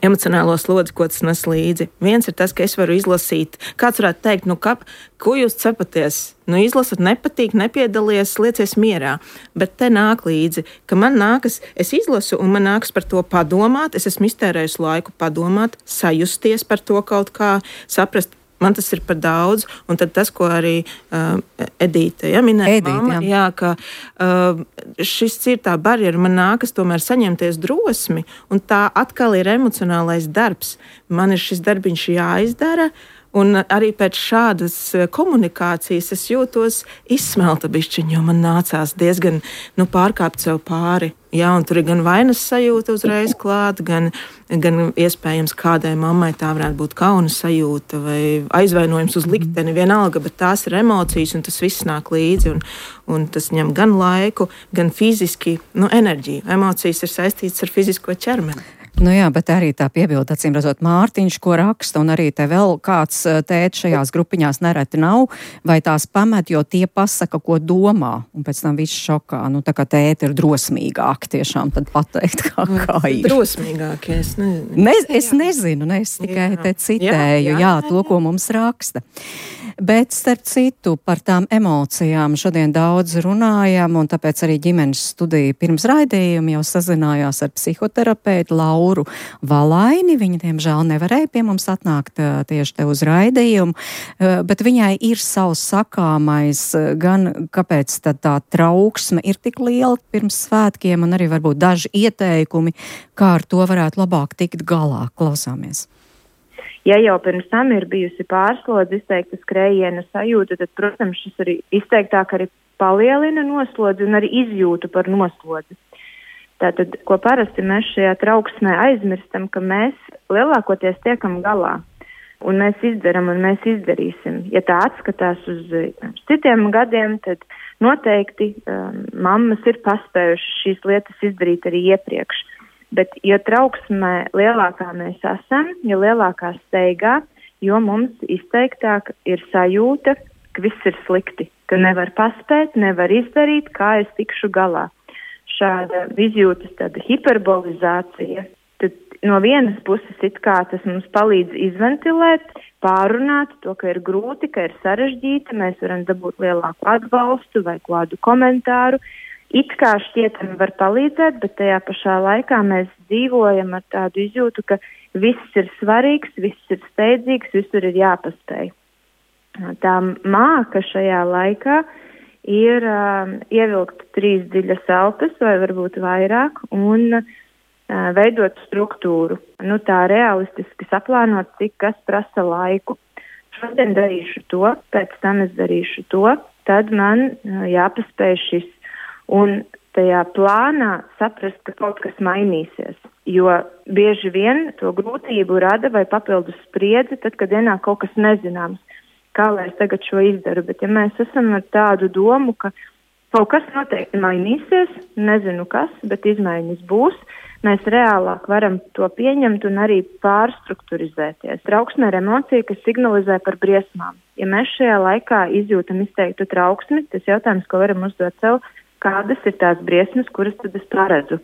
emocionālo slodzi, ko tas nes līdzi. Viens ir tas, ka es varu izlasīt, kāds varētu teikt, nu, ka, ko jūs cepaties? Nu, izlasat, nepatīk, nepiedalies, liecies mierā. Bet te nāk līdzi, ka man nākas, es izlasu un man nākas par to padomāt, es esmu iztērējusi laiku padomāt, sajusties par to kaut kā, saprast, man tas ir par daudz, un tad tas, ko arī uh, Edīte ja, minēja, Edīte, mamma, jā. Jā, ka uh, šis ir tā barjera, man nākas tomēr saņemties drosmi, un tā atkal ir emocionālais darbs. Man ir šis darbiņš jāizdara, un arī pēc šādas komunikācijas es jūtos izsmelta bišķiņ, jo man nācās diezgan nu, pārkāpt sev pāri. Jā, un tur ir gan vainas sajūta uzreiz klāt, gan, gan iespējams kādai mammai tā varētu būt kauna sajūta vai aizvainojums uz likteni, vienalga, bet tās ir emocijas un tas viss nāk līdzi un, un tas ņem gan laiku, gan fiziski, nu, enerģiju. Emocijas ir saistītas ar fizisko ķermeni. Nu jā, bet arī tā piebilda, acīm redzot, Mārtiņš, ko raksta, un arī te vēl kāds tēts šajās grupiņās nereti nav, vai tās pamet, jo tie pasaka, ko domā, un pēc tam viss šokā. Nu, tā kā tēti ir drosmīgāki tiešām tad pateikt, kā, kā ir. Drosmīgāki, es nezinu. Ne, es nezinu, ne, es tikai jā. te citēju, jā, jā, jā, to, ko mums raksta. Bet, starp citu, par tām emocijām šodien daudz runājam, un tāpēc arī ģimenes studija pirms raidījuma jau sazinājās ar psihoterapeitu Lauru Valaini. Viņa, diemžēl, nevarēja pie mums atnākt tieši te uz raidījumu, bet viņai ir savs sakāmais, gan kāpēc tad tā trauksme ir tik liela pirms svētkiem, un arī varbūt daži ieteikumi, kā ar to varētu labāk tikt galā. Klausāmies. Ja jau pirms tam ir bijusi pārslodze, izteikta skrējiena sajūta, tad, protams, šis arī izteiktāk arī palielina noslodzi un arī izjūtu par noslodzi. Tātad, ko parasti mēs šajā trauksmē aizmirstam, ka mēs lielākoties tiekam galā. Un mēs izdaram un mēs izdarīsim. Ja tā atskatās uz citiem gadiem, tad noteikti um, mammas ir paspējušas šīs lietas izdarīt arī iepriekš. Bet, jo trauksmē lielākā mēs esam, jo lielākā steigā, jo mums izteiktāk ir sajūta, ka viss ir slikti, ka nevar paspēt, nevar izdarīt, kā es tikšu galā. šāda izjūtas tāda hiperbolizācija, tad no vienas puses it kā tas mums palīdz izventilēt, pārunāt to, ka ir grūti, ka ir sarežģīti, mēs varam dabūt lielāku atbalstu vai kādu komentāru. It kā šķietami var palīdzēt, bet tajā pašā laikā mēs dzīvojam ar tādu izjūtu, ka viss ir svarīgs, viss ir steidzīgs, visur ir jāpaspēj. Tā māka šajā laikā ir uh, ievilkt trīs dziļas elpas vai varbūt vairāk un uh, veidot struktūru. Nu, tā realistiski saplānot, cik kas prasa laiku. Šodien darīšu to, pēc tam es darīšu to, tad man uh, jāpaspēj šis. Un tajā plānā saprast, ka kaut kas mainīsies. Jo bieži vien to grūtību rada vai papildus spriedzi, tad, kad ienāk kaut kas nezināms. Kā lai es tagad šo izdaru, bet ja mēs esam ar tādu domu, ka kaut kas noteikti mainīsies, nezinu kas, bet izmaiņas būs, mēs reālāk varam to pieņemt un arī pārstrukturizēties. Trauksme ir emocija, kas signalizē par briesmām. Ja mēs šajā laikā izjūtam izteiktu trauksmi, tas jautājums, ko varam uzdot sev, kādas ir tās briesmas, kuras tad es paredzu,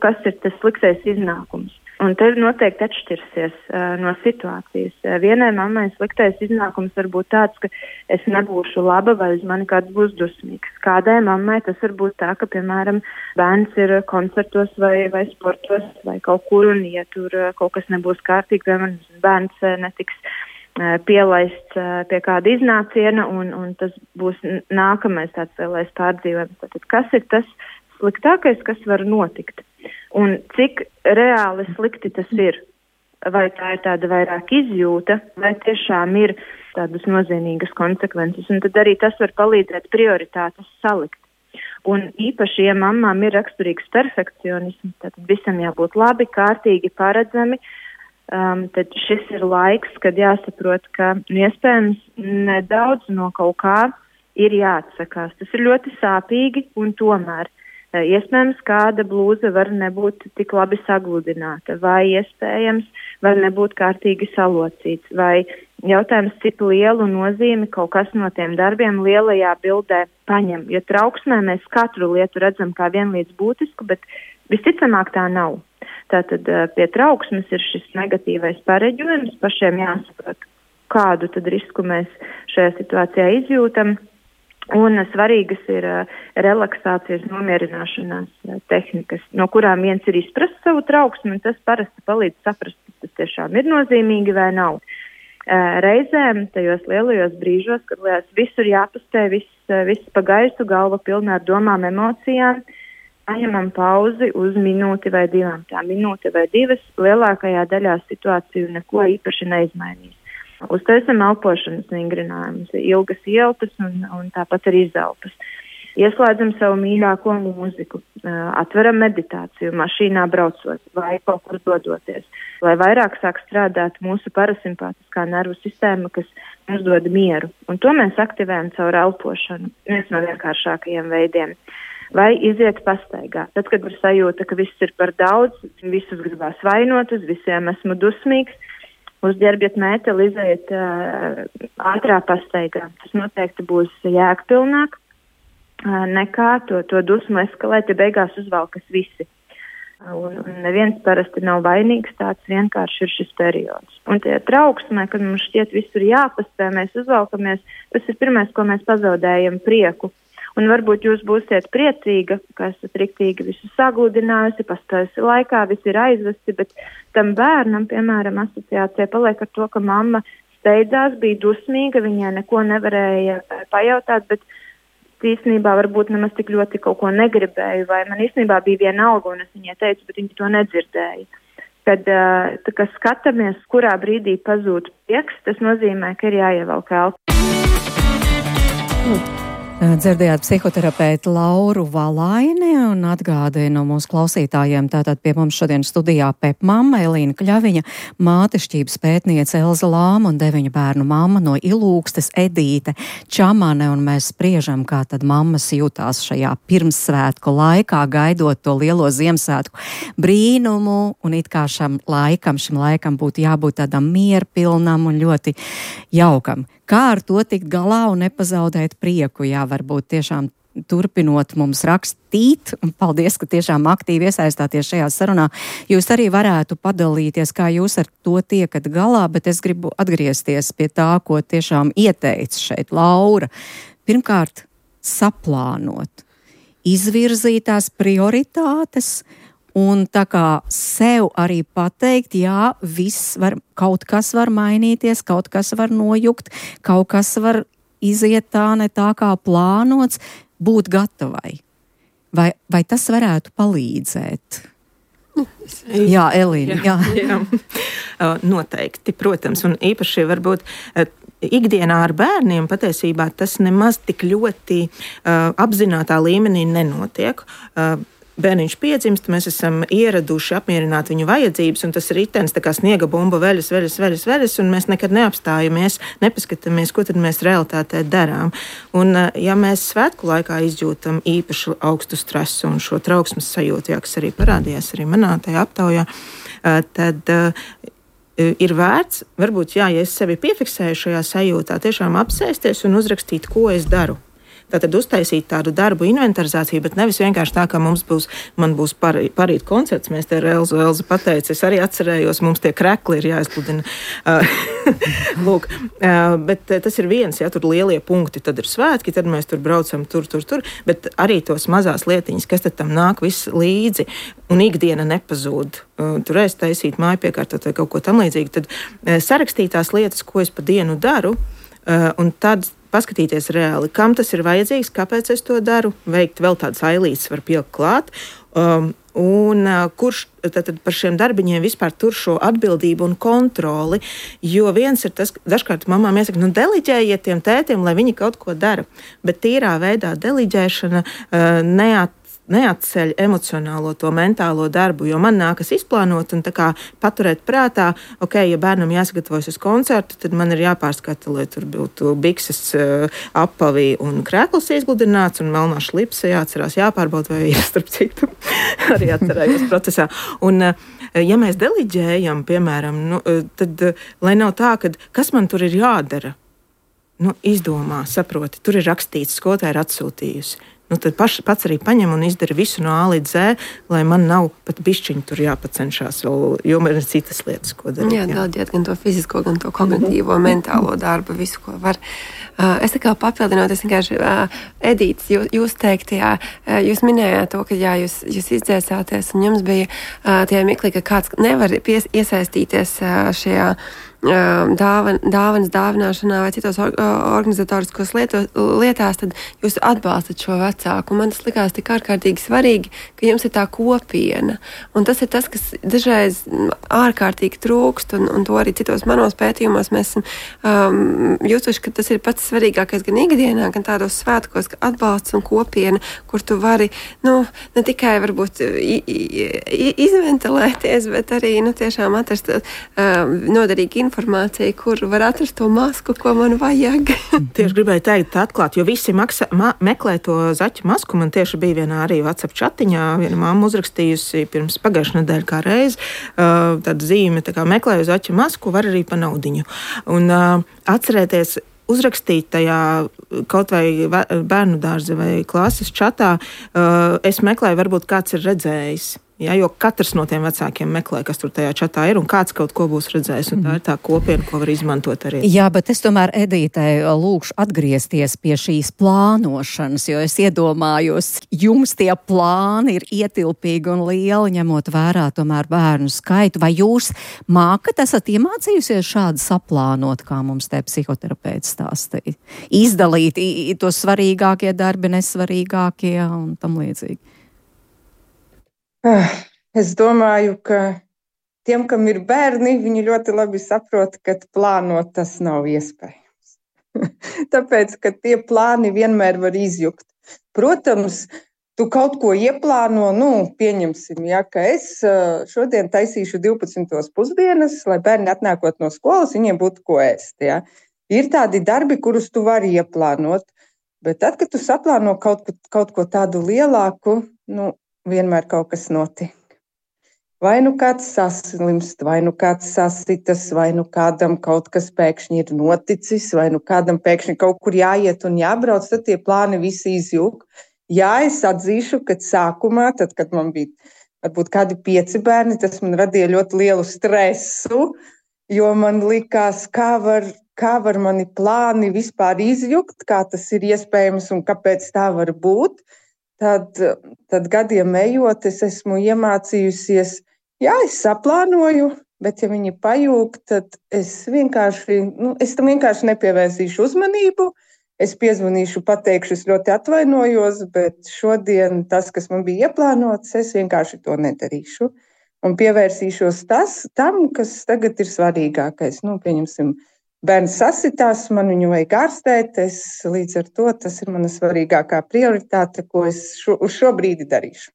kas ir tas sliktais iznākums. Un te noteikti atšķirsies uh, no situācijas. Uh, vienai mammai sliktais iznākums var būt tāds, ka es nebūšu laba vai uz mani kāds būs dusmīgs. Kādai mammai tas var būt tā, ka, piemēram, bērns ir koncertos vai, vai sportos vai kaut kur un, ja tur uh, kaut kas nebūs kārtīgi, piemēram, bērns uh, netiks uh, pielaists uh, pie kāda iznāciena un, un tas būs nākamais tāds lielais pārdzīvojums. Tātad, kas ir tas sliktākais, kas var notikt? Un cik reāli slikti tas ir? Vai tā ir tāda vairāk izjūta, vai tiešām ir tādas nozīmīgas konsekvences? Un tad arī tas var palīdzēt prioritātes salikt. Un īpaši, ja mammām ir raksturīgs perfekcionisms, tad visam jābūt labi, kārtīgi, paredzami, um, tad šis ir laiks, kad jāsaprot, ka iespējams nedaudz no kaut kā ir jāatsakās. Tas ir ļoti sāpīgi un tomēr. Iespējams, kāda blūza var nebūt tik labi sagludināta, vai iespējams var nebūt kārtīgi salocīts, vai jautājums, cik lielu nozīmi kaut kas no tiem darbiem lielajā bildē paņem. Jo trauksmē mēs katru lietu redzam kā vienlīdz būtisku, bet visticamāk tā nav. Tātad pie trauksmes ir šis negatīvais pareģojums, pašiem jāsaprot, kādu tad risku mēs šajā situācijā izjūtam. Un svarīgas ir uh, relaksācijas, nomierināšanās uh, tehnikas, no kurām viens ir izprast savu trauksmi, un tas parasti palīdz saprast, ka tas tiešām ir nozīmīgi vai nav. Uh, reizēm tajos lielajos brīžos, kad liekas, visur jāpaspēj, viss, uh, viss pa gaisu, galva pilnā ar domām, emocijām, paņemam pauzi uz minūti vai divām. Tā minūte vai divas lielākajā daļā situāciju neko īpaši neizmainīs. Uztaisam elpošanas vingrinājumus, ilgas ielpas un, un tāpat arī izelpas. Ieslēdzam savu mīļāko mūziku, atveram meditāciju, mašīnā braucot vai kaut kur dodoties, lai vairāk sāk strādāt mūsu parasimpātiskā nervu sistēma, kas mums dod mieru. Un to mēs aktivējam caur elpošanu, viens no vienkāršākajiem veidiem. Vai iziet pastaigā. Tad, kad ir sajūta, ka viss ir par daudz, visus gribās vainot, uz visiem esmu dusmīgs, uzģērbiet mēteli, iziet uh, ātrā pastaigā. Tas noteikti būs jēgpilnāk uh, nekā to, to dusmu eskalēt, ja beigās uzvalkas visi. Uh, un, un neviens parasti nav vainīgs, tāds vienkārši ir šis periods. Un tie trauksmē, kad mums šķiet visur jāpaspē, mēs uzvalkamies, tas ir pirmais, ko mēs pazaudējam prieku. Un varbūt jūs būsiet priecīga, ka esat riktīgi visu sagludinājusi, paspējusi laikā, visi ir aizvesti, bet tam bērnam, piemēram, asociācija paliek ar to, ka mamma steidzās, bija dusmīga, viņai neko nevarēja pajautāt, bet īstenībā varbūt nemaz tik ļoti kaut ko negribēju, vai man īstenībā bija viena alga, un es viņai teicu, bet viņa to nedzirdēja. Kad tā, kad skatāmies, kurā brīdī pazūd prieks, tas nozīmē, ka ir jāievelk elpa. Mm. Dzirdējāt psihoterapeitu Lauru Valaini un atgādinu mūsu klausītājiem, tātad pie mums šodien studijā pepmamma Elīna Kļaviņa, mātešķības pētniece Elza Lāma un deviņu bērnu mamma no Ilūgstes Edīte Čamane, un mēs spriežam, kā tad mammas jūtās šajā pirmssvētku laikā, gaidot to lielo Ziemassvētku brīnumu, un it kā šam laikam, šim laikam būtu jābūt tādam mierpilnam un ļoti jaukam. Kā ar to tikt galā un nepazaudēt prieku? Jā, varbūt tiešām turpinot mums rakstīt, un paldies, ka tiešām aktīvi iesaistāties šajā sarunā. Jūs arī varētu padalīties, kā jūs ar to tiekat galā, bet es gribu atgriezties pie tā, ko tiešām ieteica šeit Laura. Pirmkārt, saplānot, izvirzītās prioritātes, un tā kā sev arī pateikt, jā, viss var, kaut kas var mainīties, kaut kas var nojukt, kaut kas var iziet tā ne tā kā plānots, būt gatavai. Vai, vai tas varētu palīdzēt? Jā, Elīna. Jā, jā. jā. Noteikti, protams, un īpaši varbūt ikdienā ar bērniem patiesībā tas nemaz tik ļoti uh, apzinātā līmenī nenotiek. Uh, Bērniņš piedzimst, mēs esam ieraduši apmierināt viņu vajadzības, un tas ritenis tā kā sniega bumba veļas, veļas, veļas, veļas, un mēs nekad neapstājamies, nepaskatāmies, ko tad mēs realitātē darām. Un ja mēs svētku laikā izjūtam īpaši augstu stresu un šo trauksmes sajūtu, jā, kas arī parādījās arī manā tajā aptaujā, tad ir vērts, varbūt, jā, ja es sevi piefiksēju šajā sajūtā, tiešām apsēsties un uzrakstīt, ko es daru. Tātad uztaisīt tādu darbu inventarizāciju, bet nevis vienkārši tā, ka mums būs, man būs par, parīt koncerts, mēs te ar Elzu, Elzu pateica, es arī atcerējos, mums tie krekli ir jāizpludina. Lūk, bet tas ir viens, ja tur lielie punkti, tad ir svētki, tad mēs tur braucam tur, tur, tur, bet arī tos mazās lietiņas, kas tad tam nāk viss līdzi, un ikdiena nepazūd. Tur es taisīt māju piekārtot vai kaut ko tam līdzīgi, tad sarakstītās lietas, ko es pa dienu daru, un tad paskatīties reāli, kam tas ir vajadzīgs, kāpēc es to daru, veikt vēl tādas ailītes var pielikt klāt, um, un uh, kurš tad par šiem darbiņiem vispār tur šo atbildību un kontroli, jo viens ir tas, dažkārt mamām iesaka, nu deliģējiet tiem tētiem, lai viņi kaut ko dara, bet tīrā veidā deliģēšana uh, neat neatceļ emocionālo to mentālo darbu, jo man nākas izplānot un tā kā paturēt prātā, ok, ja bērnam jāsagatavojas uz koncertu, tad man ir jāpārskata, lai tur būtu bikses, apavī un krēkls izgludināts un melnā šlipse jāatcerās, jāpārbauda, vai ir starp citu arī atcerējos procesā. Un ja mēs deliģējam, piemēram, nu, tad lai nav tā, ka kas man tur ir jādara, nu, izdomā, saproti, tur ir rakstīts, skolotāja ir atsūtījusi. Nu, tad paš, pats arī paņem un izdara visu no A līdz Z, lai man nav pat bišķiņi tur jāpacenšās, vēl, jo man ir citas lietas, ko darīt. Jā, deleģēt gan to fizisko, gan to kognitīvo, mentālo darbu, visu, ko var. Uh, es tā kā papildinot, es vienkārši, uh, Edīts, jūs, jūs teikt, jā, uh, jūs minējāt to, ka jā, jūs, jūs izdzēsāties, un jums bija uh, tie mikli, ka kāds nevar pies, iesaistīties uh, šajā Dāvan, dāvanas dāvināšanā vai citos or, organizatoriskos lieto, lietās, tad jūs atbalstat šo vecāku. Man tas likās tik ārkārtīgi svarīgi, ka jums ir tā kopiena. Un tas ir tas, kas dažreiz ārkārtīgi trūkst, un, un to arī citos manos pētījumos mēs um, jūtuši, ka tas ir pats svarīgākais gan ikdienā, gan tādos svētkos, ka atbalsts un kopiena, kur tu vari, nu, ne tikai varbūt i, i, izventilēties, bet arī, nu, tiešām atrast um, noderīgi informācija, kur var atrast to masku, ko man vajag. Tieši gribēju teikt atklāt, jo visi maksa, ma, meklē to zaķu masku. Man tieši bija vienā arī WhatsApp chatiņā, viena mamma uzrakstījusi pirms pagājušā nedēļa kā reiz, uh, tāda zīme, tā kā meklēju zaķu masku, var arī pa naudiņu. Un uh, atcerēties, uzrakstīt tajā kaut vai bērnu dārza vai klases čatā, uh, es meklēju, varbūt kāds ir redzējis. Ja, jo katrs no tiem vecākiem meklē, kas tur tajā čatā ir, un kāds kaut ko būs redzējis. Un tā ir tā kopiena, ko var izmantot arī. Jā, bet es tomēr Edītei lūkšu atgriezties pie šīs plānošanas, jo es iedomājos, jums tie plāni ir ietilpīgi un lieli, ņemot vērā tomēr bērnu skaitu. Vai jūs mākat, esat iemācījusies šādi saplānot, kā mums te psihoterapeits stāstīja? Izdalīt tos svarīgākie darbi, nesvarīgākie un tam līdzīgi. Es domāju, ka tiem, kam ir bērni, viņi ļoti labi saprot, ka plānot tas nav iespējams. Tāpēc, ka tie plāni vienmēr var izjukt. Protams, tu kaut ko ieplāno, nu, pieņemsim, ja, ka es šodien taisīšu divpadsmitos pusdienas, lai bērni atnākot no skolas, viņiem būtu ko ēst. Ja. Ir tādi darbi, kurus tu vari ieplānot, bet tad, kad tu saplāno kaut, kaut ko tādu lielāku, nu, vienmēr kaut kas notiek. vai nu kāds saslimst, vai nu kāds sasitas, vai nu kādam kaut kas pēkšņi ir noticis, vai nu kādam pēkšņi kaut kur jāiet un jābrauc, tad tie plāni visi izjūg. Jā, es atzīšu, ka sākumā, tad, kad man bija varbūt kādi pieci bērni, tas man radīja ļoti lielu stresu, jo man likās, kā var, kā var mani plāni vispār izjukt, kā tas ir iespējams un kāpēc tā var būt. Tad, tad gadiem ejot, es esmu iemācījusies, jā, es saplānoju, bet ja viņi pajūg, tad es vienkārši, nu, es tam vienkārši nepievērsīšu uzmanību. Es piezvanīšu, pateikšu, es ļoti atvainojos, bet šodien tas, kas man bija ieplānots, es vienkārši to nedarīšu. Un pievērsīšos tas, tam, kas tagad ir svarīgākais. Nu, pieņemsim, bērns sasitās, man viņu vajag ārstēt, es līdz ar to tas ir mana svarīgākā prioritāte, ko es šo, uz šo brīdi darīšu.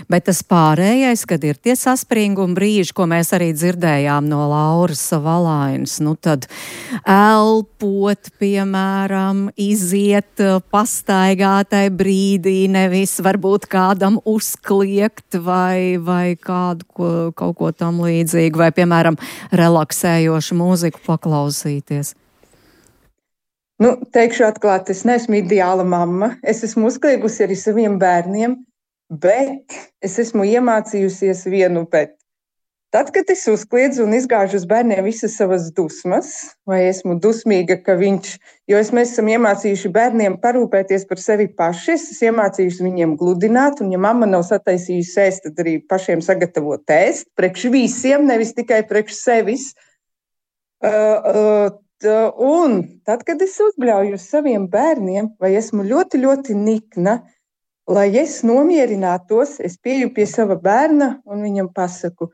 Bet tas pārējais, kad ir tie saspringuma brīži, ko mēs arī dzirdējām no Lauras Valainas, nu tad elpot, piemēram, iziet pastaigātai brīdī, nevis varbūt kādam uzkliegt vai, vai kādu ko, kaut ko tam līdzīgu, vai, piemēram, relaksējošu mūziku paklausīties. Nu, teikšu atklāt, es neesmu ideāla mamma. Es esmu uzkliegusi arī saviem bērniem. Bet es esmu iemācījusies vienu, bet tad, kad es uzkliedzu un izgāžu uz bērniem visas savas dusmas, vai esmu dusmīga, ka viņš, jo es, mēs esam iemācījuši bērniem parūpēties par sevi paši, es esmu iemācījusi viņiem gludināt, un ja mamma nav sataisījusi ēst, tad arī pašiem sagatavot ēst, priekš visiem, nevis tikai priekš sevis. Uh, uh, un tad, kad es uzbļauju uz saviem bērniem, vai esmu ļoti, ļoti nikna, lai es nomierinātos, es pieju pie sava bērna un viņam pasaku,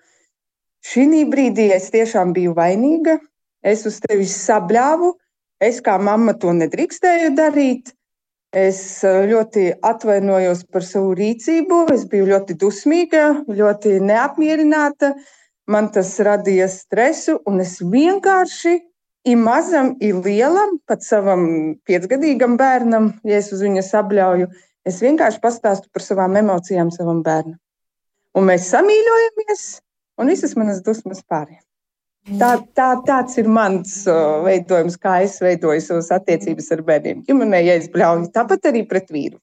šī brīdī es tiešām biju vainīga, es uz tevi sabļāvu, es kā mamma to nedrīkstēju darīt, es ļoti atvainojos par savu rīcību, es biju ļoti dusmīga, ļoti neapmierināta, man tas radīja stresu un es vienkārši i mazam, i lielam, pat savam piecgadīgam bērnam, ja es uz viņa sabļauju, es vienkārši pastāstu par savām emocijām savam bērnam. Un mēs samīļojamies, un visas manas dusmas pārējām. Tā, tā, tāds ir mans uh, veidojums, kā es veidoju savas attiecības ar bērniem. Ģimenē, ja es bļauju, tāpat arī pret vīru.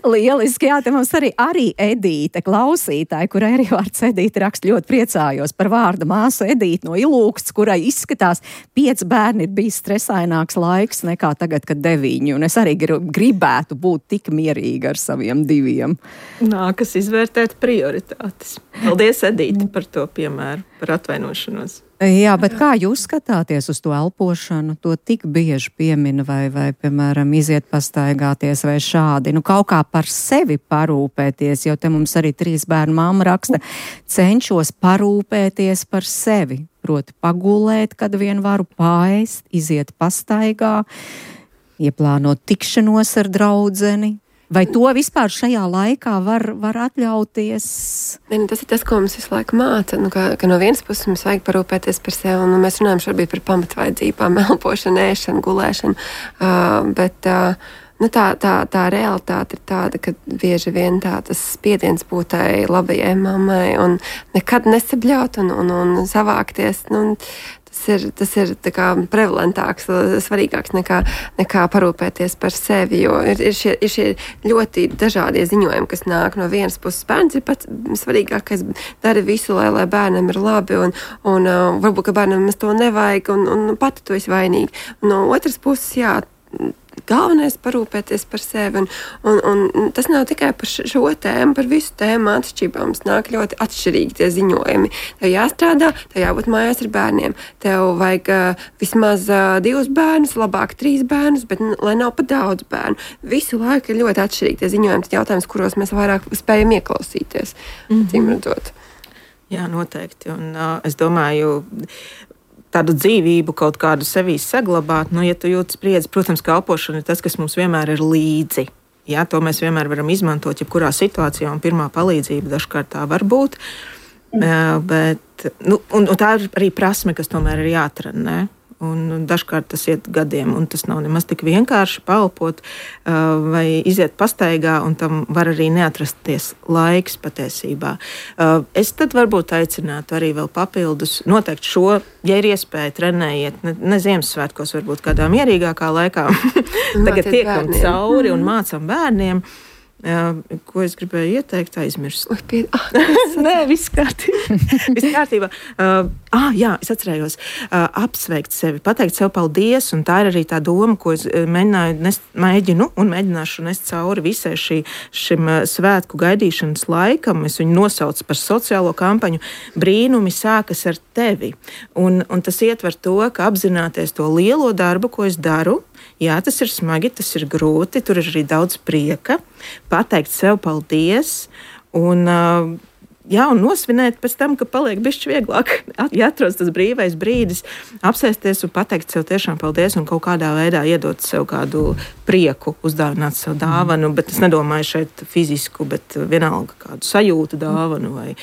Lieliski, jā, te mums arī, arī Edīte, klausītāji, kurai arī vārds Edīte raksta, ļoti priecājos par vārdu māsu Edīte no Ilūksts, kurai izskatās pieci bērni ir bijis stresaināks laiks nekā tagad, kad deviņi, un es arī gribētu būt tik mierīga ar saviem diviem. Nākas izvērtēt prioritātes. Paldies, Edīte, par to piemēru, par atvainošanos. Jā, bet kā jūs skatāties uz to elpošanu? To tik bieži piemina vai, vai, piemēram, iziet pastaigāties vai šādi. Nu, kaut kā par sevi parūpēties, jo te mums arī trīs bērnu mamma raksta, cenšos parūpēties par sevi. Proti pagulēt, kad vien varu paēst, iziet pastaigā, ieplānot tikšanos ar draudzeni. Vai to vispār šajā laikā var, var atļauties? Ne, tas ir tas, ko mums visu laiku māca. Nu, ka, ka no vienas puses mums vajag parūpēties par sevi, un mēs runājam šobrīd par pamatvajadzībām, elpošanu, ēšanu, gulēšanu. Uh, bet uh, nu, tā, tā, tā realitāte ir tāda, ka bieži vien tā, tas spiediens būt tai labajai mammai un nekad nesabļaut un, un, un savākties. Nu, Tas ir, tas ir tā kā prevalentāks, svarīgāks nekā, nekā parūpēties par sevi, jo ir, ir, šie, ir šie ļoti dažādie ziņojumi, kas nāk no vienas puses. Bērns ir pats svarīgākais, dara visu, lai, lai bērnam ir labi, un, un uh, varbūt, ka bērnam to nevajag, un, un pati tu esi vainīga. No otras puses, jā, galvenais parūpēties par sevi, un, un, un tas nav tikai par šo tēmu, par visu tēmu atšķirībām. Mums nāk ļoti atšķirīgi tie ziņojumi. Tev jāstrādā, tev jābūt mājās ar bērniem. Tev vajag uh, vismaz uh, divus bērnus, labāk trīs bērnus, bet n- lai nav pa daudz bērnu. Visu laiku ir ļoti atšķirīgi tie ziņojumi, tas jautājums, kuros mēs vairāk spējam ieklausīties. Mm-hmm. Cīm redzot. Jā, noteikti. Un uh, es domāju, tādu dzīvību kaut kādu sevī saglabāt, nu, ja tu jūti spriedzi, protams, ka elpošana ir tas, kas mums vienmēr ir līdzi. Jā, to mēs vienmēr varam izmantot, jebkurā situācijā, un pirmā palīdzība dažkārt tā var būt. Mm. Uh, bet, nu, un, un tā ir arī prasme, kas tomēr ir jātrenē. un dažkārt tas iet gadiem, un tas nav nemaz tik vienkārši paelpot uh, vai iziet pastaigā, un tam var arī neatrasties laiks patiesībā. Uh, es tad varbūt aicinātu arī vēl papildus noteikti šo, ja ir iespēja trenējiet, ne, ne Ziemassvētkos, varbūt kādā mierīgākā laikā. Tagad tiekam cauri un mācam bērniem. Jā, ko es gribēju ieteikt, aizmirst. Pie... Ah, Nē, viss kārtībā. viss kārtībā. Uh, ah, jā, es atcerējos. Uh, apsveikt sevi, pateikt sev paldies, un tā ir arī tā doma, ko es mēģināju nest, mēģinu un mēģināšu nest cauri visai šī, šim uh, svētku gaidīšanas laikam. Es viņu nosaucu par sociālo kampaņu. Brīnumi sākas ar tevi. Un, un tas ietver to, ka apzināties to lielo darbu, ko es daru. Jā, tas ir smagi, tas ir grūti, tur ir arī daudz prieka, pateikt sev paldies un, jā, un nosvinēt pēc tam, ka paliek bišķi vieglāk. Ja atrodas tas brīvais brīdis, apsēsties un pateikt sev tiešām paldies un kaut kādā veidā iedot sev kādu prieku, uzdāvināt sev dāvanu, bet es nedomāju šeit fizisku, bet vienalga kādu sajūtu dāvanu vai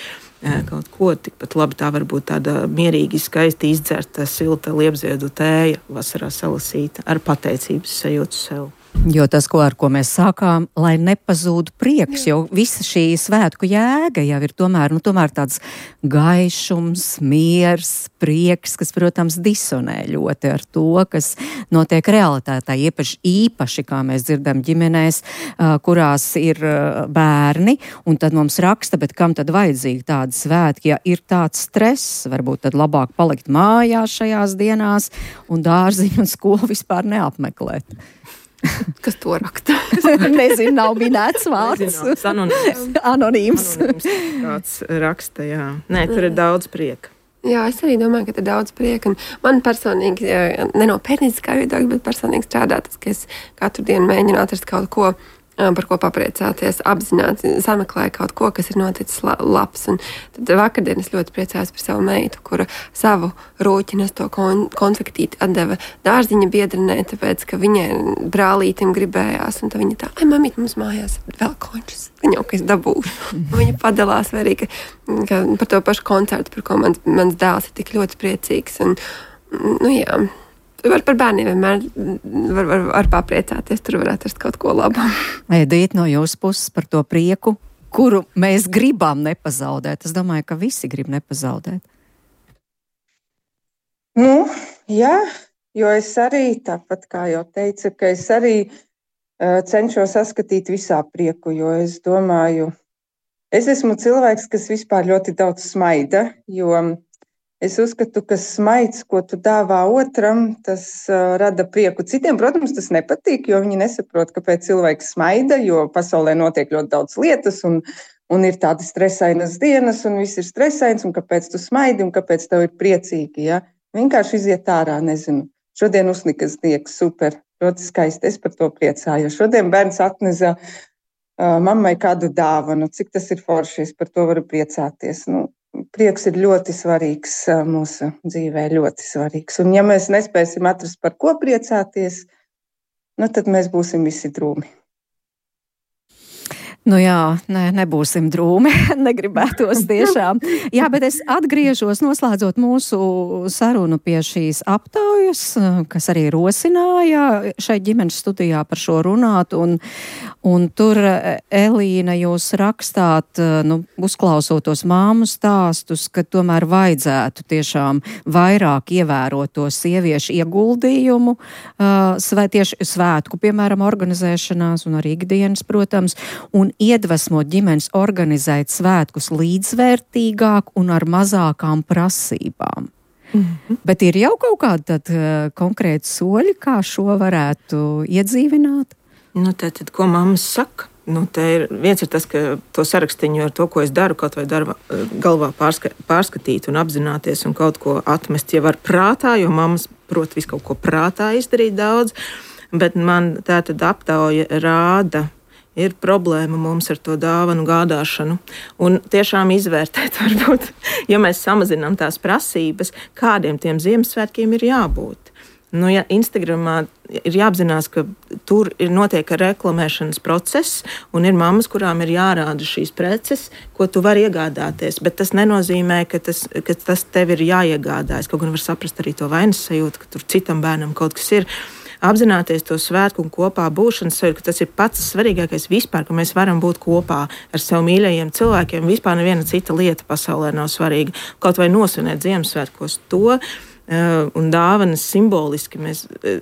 kaut ko, tikpat labi tā var būt tāda mierīgi, skaisti izdzerta, silta liepziedu tēja, vasarā salasīta ar pateicības sajūtu sev. Jo tas, ko, ar ko mēs sākām, lai nepazūd prieks, jo visa šī svētku jēga jau ir tomēr, nu, tomēr tāds gaišums, miers, prieks, kas, protams, disonē ļoti ar to, kas notiek realitātē, īpaši, īpaši, kā mēs dzirdam ģimenēs, kurās ir bērni, un tad mums raksta, bet kam tad vajadzīgi tādi svētki, ja ir tāds stress, varbūt tad labāk palikt mājās šajās dienās un dārziņu un skolu vispār neapmeklēt. Kas to raksta? Nezinu, nav minēts vārds. Anonīms. Anonīms. Anonīms. Kāds raksta, jā. Nē, tur ir daudz prieka. Jā, es arī domāju, ka ir daudz prieka. Man personīgi, ne no pētnieciskā viedokļa, bet personīgi strādā tas, ka es katru dienu mēģinu atrast kaut ko, par ko papriecāties, apzināti sameklēju kaut ko, kas ir noticis labs. Un tad vakardien es ļoti priecājos par savu meitu, kura savu rūķinas to kon konfektīti atdeva dārziņa biedrenē, tāpēc, ka viņai brālītim gribējās. Un tad viņa tā, ai, mamīt, mums mājās vēl končus. Viņa jau, ka es dabūšu. Viņa padalās arī, ka, ka par to pašu koncertu, par ko mans, mans dēls ir tik ļoti priecīgs. Un, nu jā... Var par bērniem vienmēr var, var, var papriecāties, tur var atrast kaut ko labu. Edita, no jūsu puses par to prieku, kuru mēs gribam nepazaudēt. Es domāju, ka visi grib nepazaudēt. Nu, jā, jo es arī, tāpat kā jau teicu, ka es arī uh, cenšos saskatīt visā prieku, jo es domāju, es esmu cilvēks, kas vispār ļoti daudz smaida, jo es uzskatu, ka smaids, ko tu dāvā otram, tas uh, rada prieku. Citiem, protams, tas nepatīk, jo viņi nesaprot, kāpēc cilvēks smaida, jo pasaulē notiek ļoti daudz lietas un, un ir tādas stresainas dienas un viss ir stresains un kāpēc tu smaidi un kāpēc tev ir priecīgi. Ja? Vienkārši iziet ārā, nezinu. Šodien uznika sniegs, super, ļoti skaisti, es par to priecāju. Šodien bērns atnesa uh, mammai kādu dāvanu, cik tas ir forši, es par to varu priecāties. Nu, prieks ir ļoti svarīgs mūsu dzīvē, ļoti svarīgs. Un ja mēs nespēsim atrast, par ko priecāties, nu tad mēs būsim visi drūmi. Nu jā, ne, nebūsim drūmi, negribētos tiešām. Jā, bet es atgriežos, noslēdzot mūsu sarunu pie šīs aptaujas, kas arī rosināja šeit ģimenes studijā par šo runāt, un, un tur, Elīna, jūs rakstāt, nu, uzklausot tos māmu stāstus, ka tomēr vajadzētu tiešām vairāk ievērot to sieviešu ieguldījumu, svē, tieši svētku, piemēram, organizēšanās un arī ikdienas, protams, un iedvesmot ģimenes organizēt svētkus līdzvērtīgāk un ar mazākām prasībām. Mm-hmm. Bet ir jau kaut kādi tad uh, konkrēti soļi, kā šo varētu iedzīvināt? Nu, tad, ko mammas saka? Nu, ir, viens ir tas, ka to sarakstiņu ar to, ko es daru, kaut vai darba, galvā pārska, pārskatīt un apzināties un kaut ko atmest jau ar prātā, jo mammas prot visu kaut ko prātā izdarīt daudz, bet man tā tad aptauja rāda, ir problēma mums ar to dāvanu gādāšanu. Un tiešām izvērtēt, varbūt, ja mēs samazinām tās prasības, kādiem tiem Ziemassvētkiem ir jābūt. Nu, ja Instagramā ir jāapzinās, ka tur ir notiek reklamēšanas process, un ir mammas, kurām ir jārāda šīs preces, ko tu vari iegādāties. Bet tas nenozīmē, ka tas, ka tas tev ir jāiegādājas. Kaut gan var saprast arī to vainas sajūtu, ka tur citam bērnam kaut kas ir. Apzināties to svētku un kopā būšanas sajūtu, ka tas ir pats svarīgākais vispār, ka mēs varam būt kopā ar sev mīļajiem cilvēkiem. Vispār neviena cita lieta pasaulē nav svarīga. Kaut vai nosvinēt Ziemassvētkos to. Uh, un dāvanas simboliski. Mēs, uh,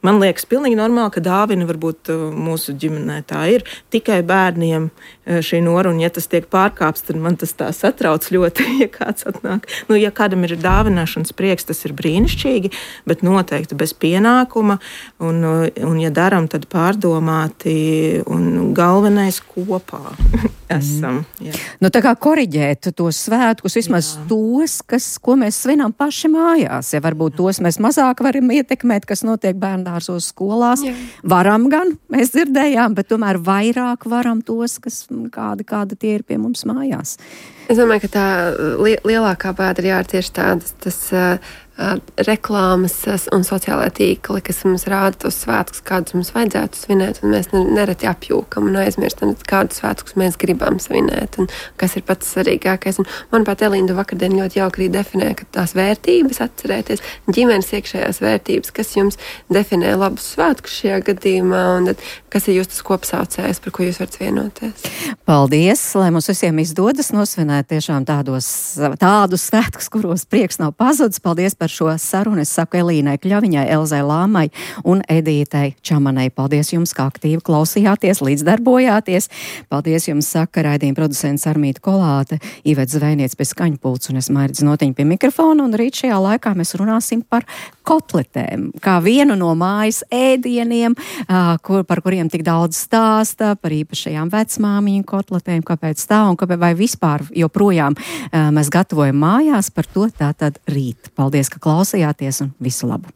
man liekas, pilnīgi normāli, ka dāvina varbūt uh, mūsu ģimenē tā ir tikai bērniem uh, šī nora, un ja tas tiek pārkāpts, tad man tas tā satrauc ļoti, ja kāds atnāk. Nu, ja kādam ir dāvināšanas prieks, tas ir brīnišķīgi, bet noteikti bez pienākuma, un, uh, un ja daram, tad pārdomāti, un galvenais kopā esam. Jā. Nu, tā kā koriģēt tos svētkus, vismaz jā. tos, kas, ko mēs svinām paši mājās. Ja varbūt tos mēs mazāk varam ietekmēt, kas notiek bērndārzos skolās. Jā. Varam gan, mēs dzirdējām, bet tomēr vairāk varam tos, kas kādi, kādi tie ir pie mums mājās. Es domāju, ka tā li- lielākā bēda ir jā, tieši tādas tas, uh, uh, reklāmas un sociālā tīkli, kas mums rāda tos svētkus, kādus mums vajadzētu svinēt, un mēs nereti apjūkam un aizmirstam, kādus svētkus mēs gribam svinēt, un kas ir pats svarīgākais. Un, manuprāt, Elīna vakardien ļoti jauki arī definē, ka tās vērtības atcerēties, ģimenes iekšējās vērtības, kas jums definē labus svētkus šajā gadījumā, un tad, kas ir jūs tas kopsaucējs, par ko jūs varat vienoties. Paldies, lai mums visiem izdodas nosvinēt tiešām tādos, tādus svētkus, kuros prieks nav pazudis. Paldies par šo sarunu. Es saku Elīnai Kļaviņai, Elzai Lāmai un Edītei Čamanai. Paldies jums, kā aktīvi klausījāties, līdzdarbojāties. Paldies jums, saka raidījuma producents Armīta Kolāte, Iveta Zvejniec pie skaņpults un es Mairidz Notiņa pie mikrofona. Un rīt šajā laikā mēs runāsim par kotletēm, kā vienu no mājas ēdieniem, kur, par kuriem tik daudz stāsta, par īpašajām vecmāmiņu kotletēm, kāpēc tā un kāpēc vai vispār joprojām mēs gatavojam mājās, par to tātad rīt. Paldies, ka klausījāties un visu labu!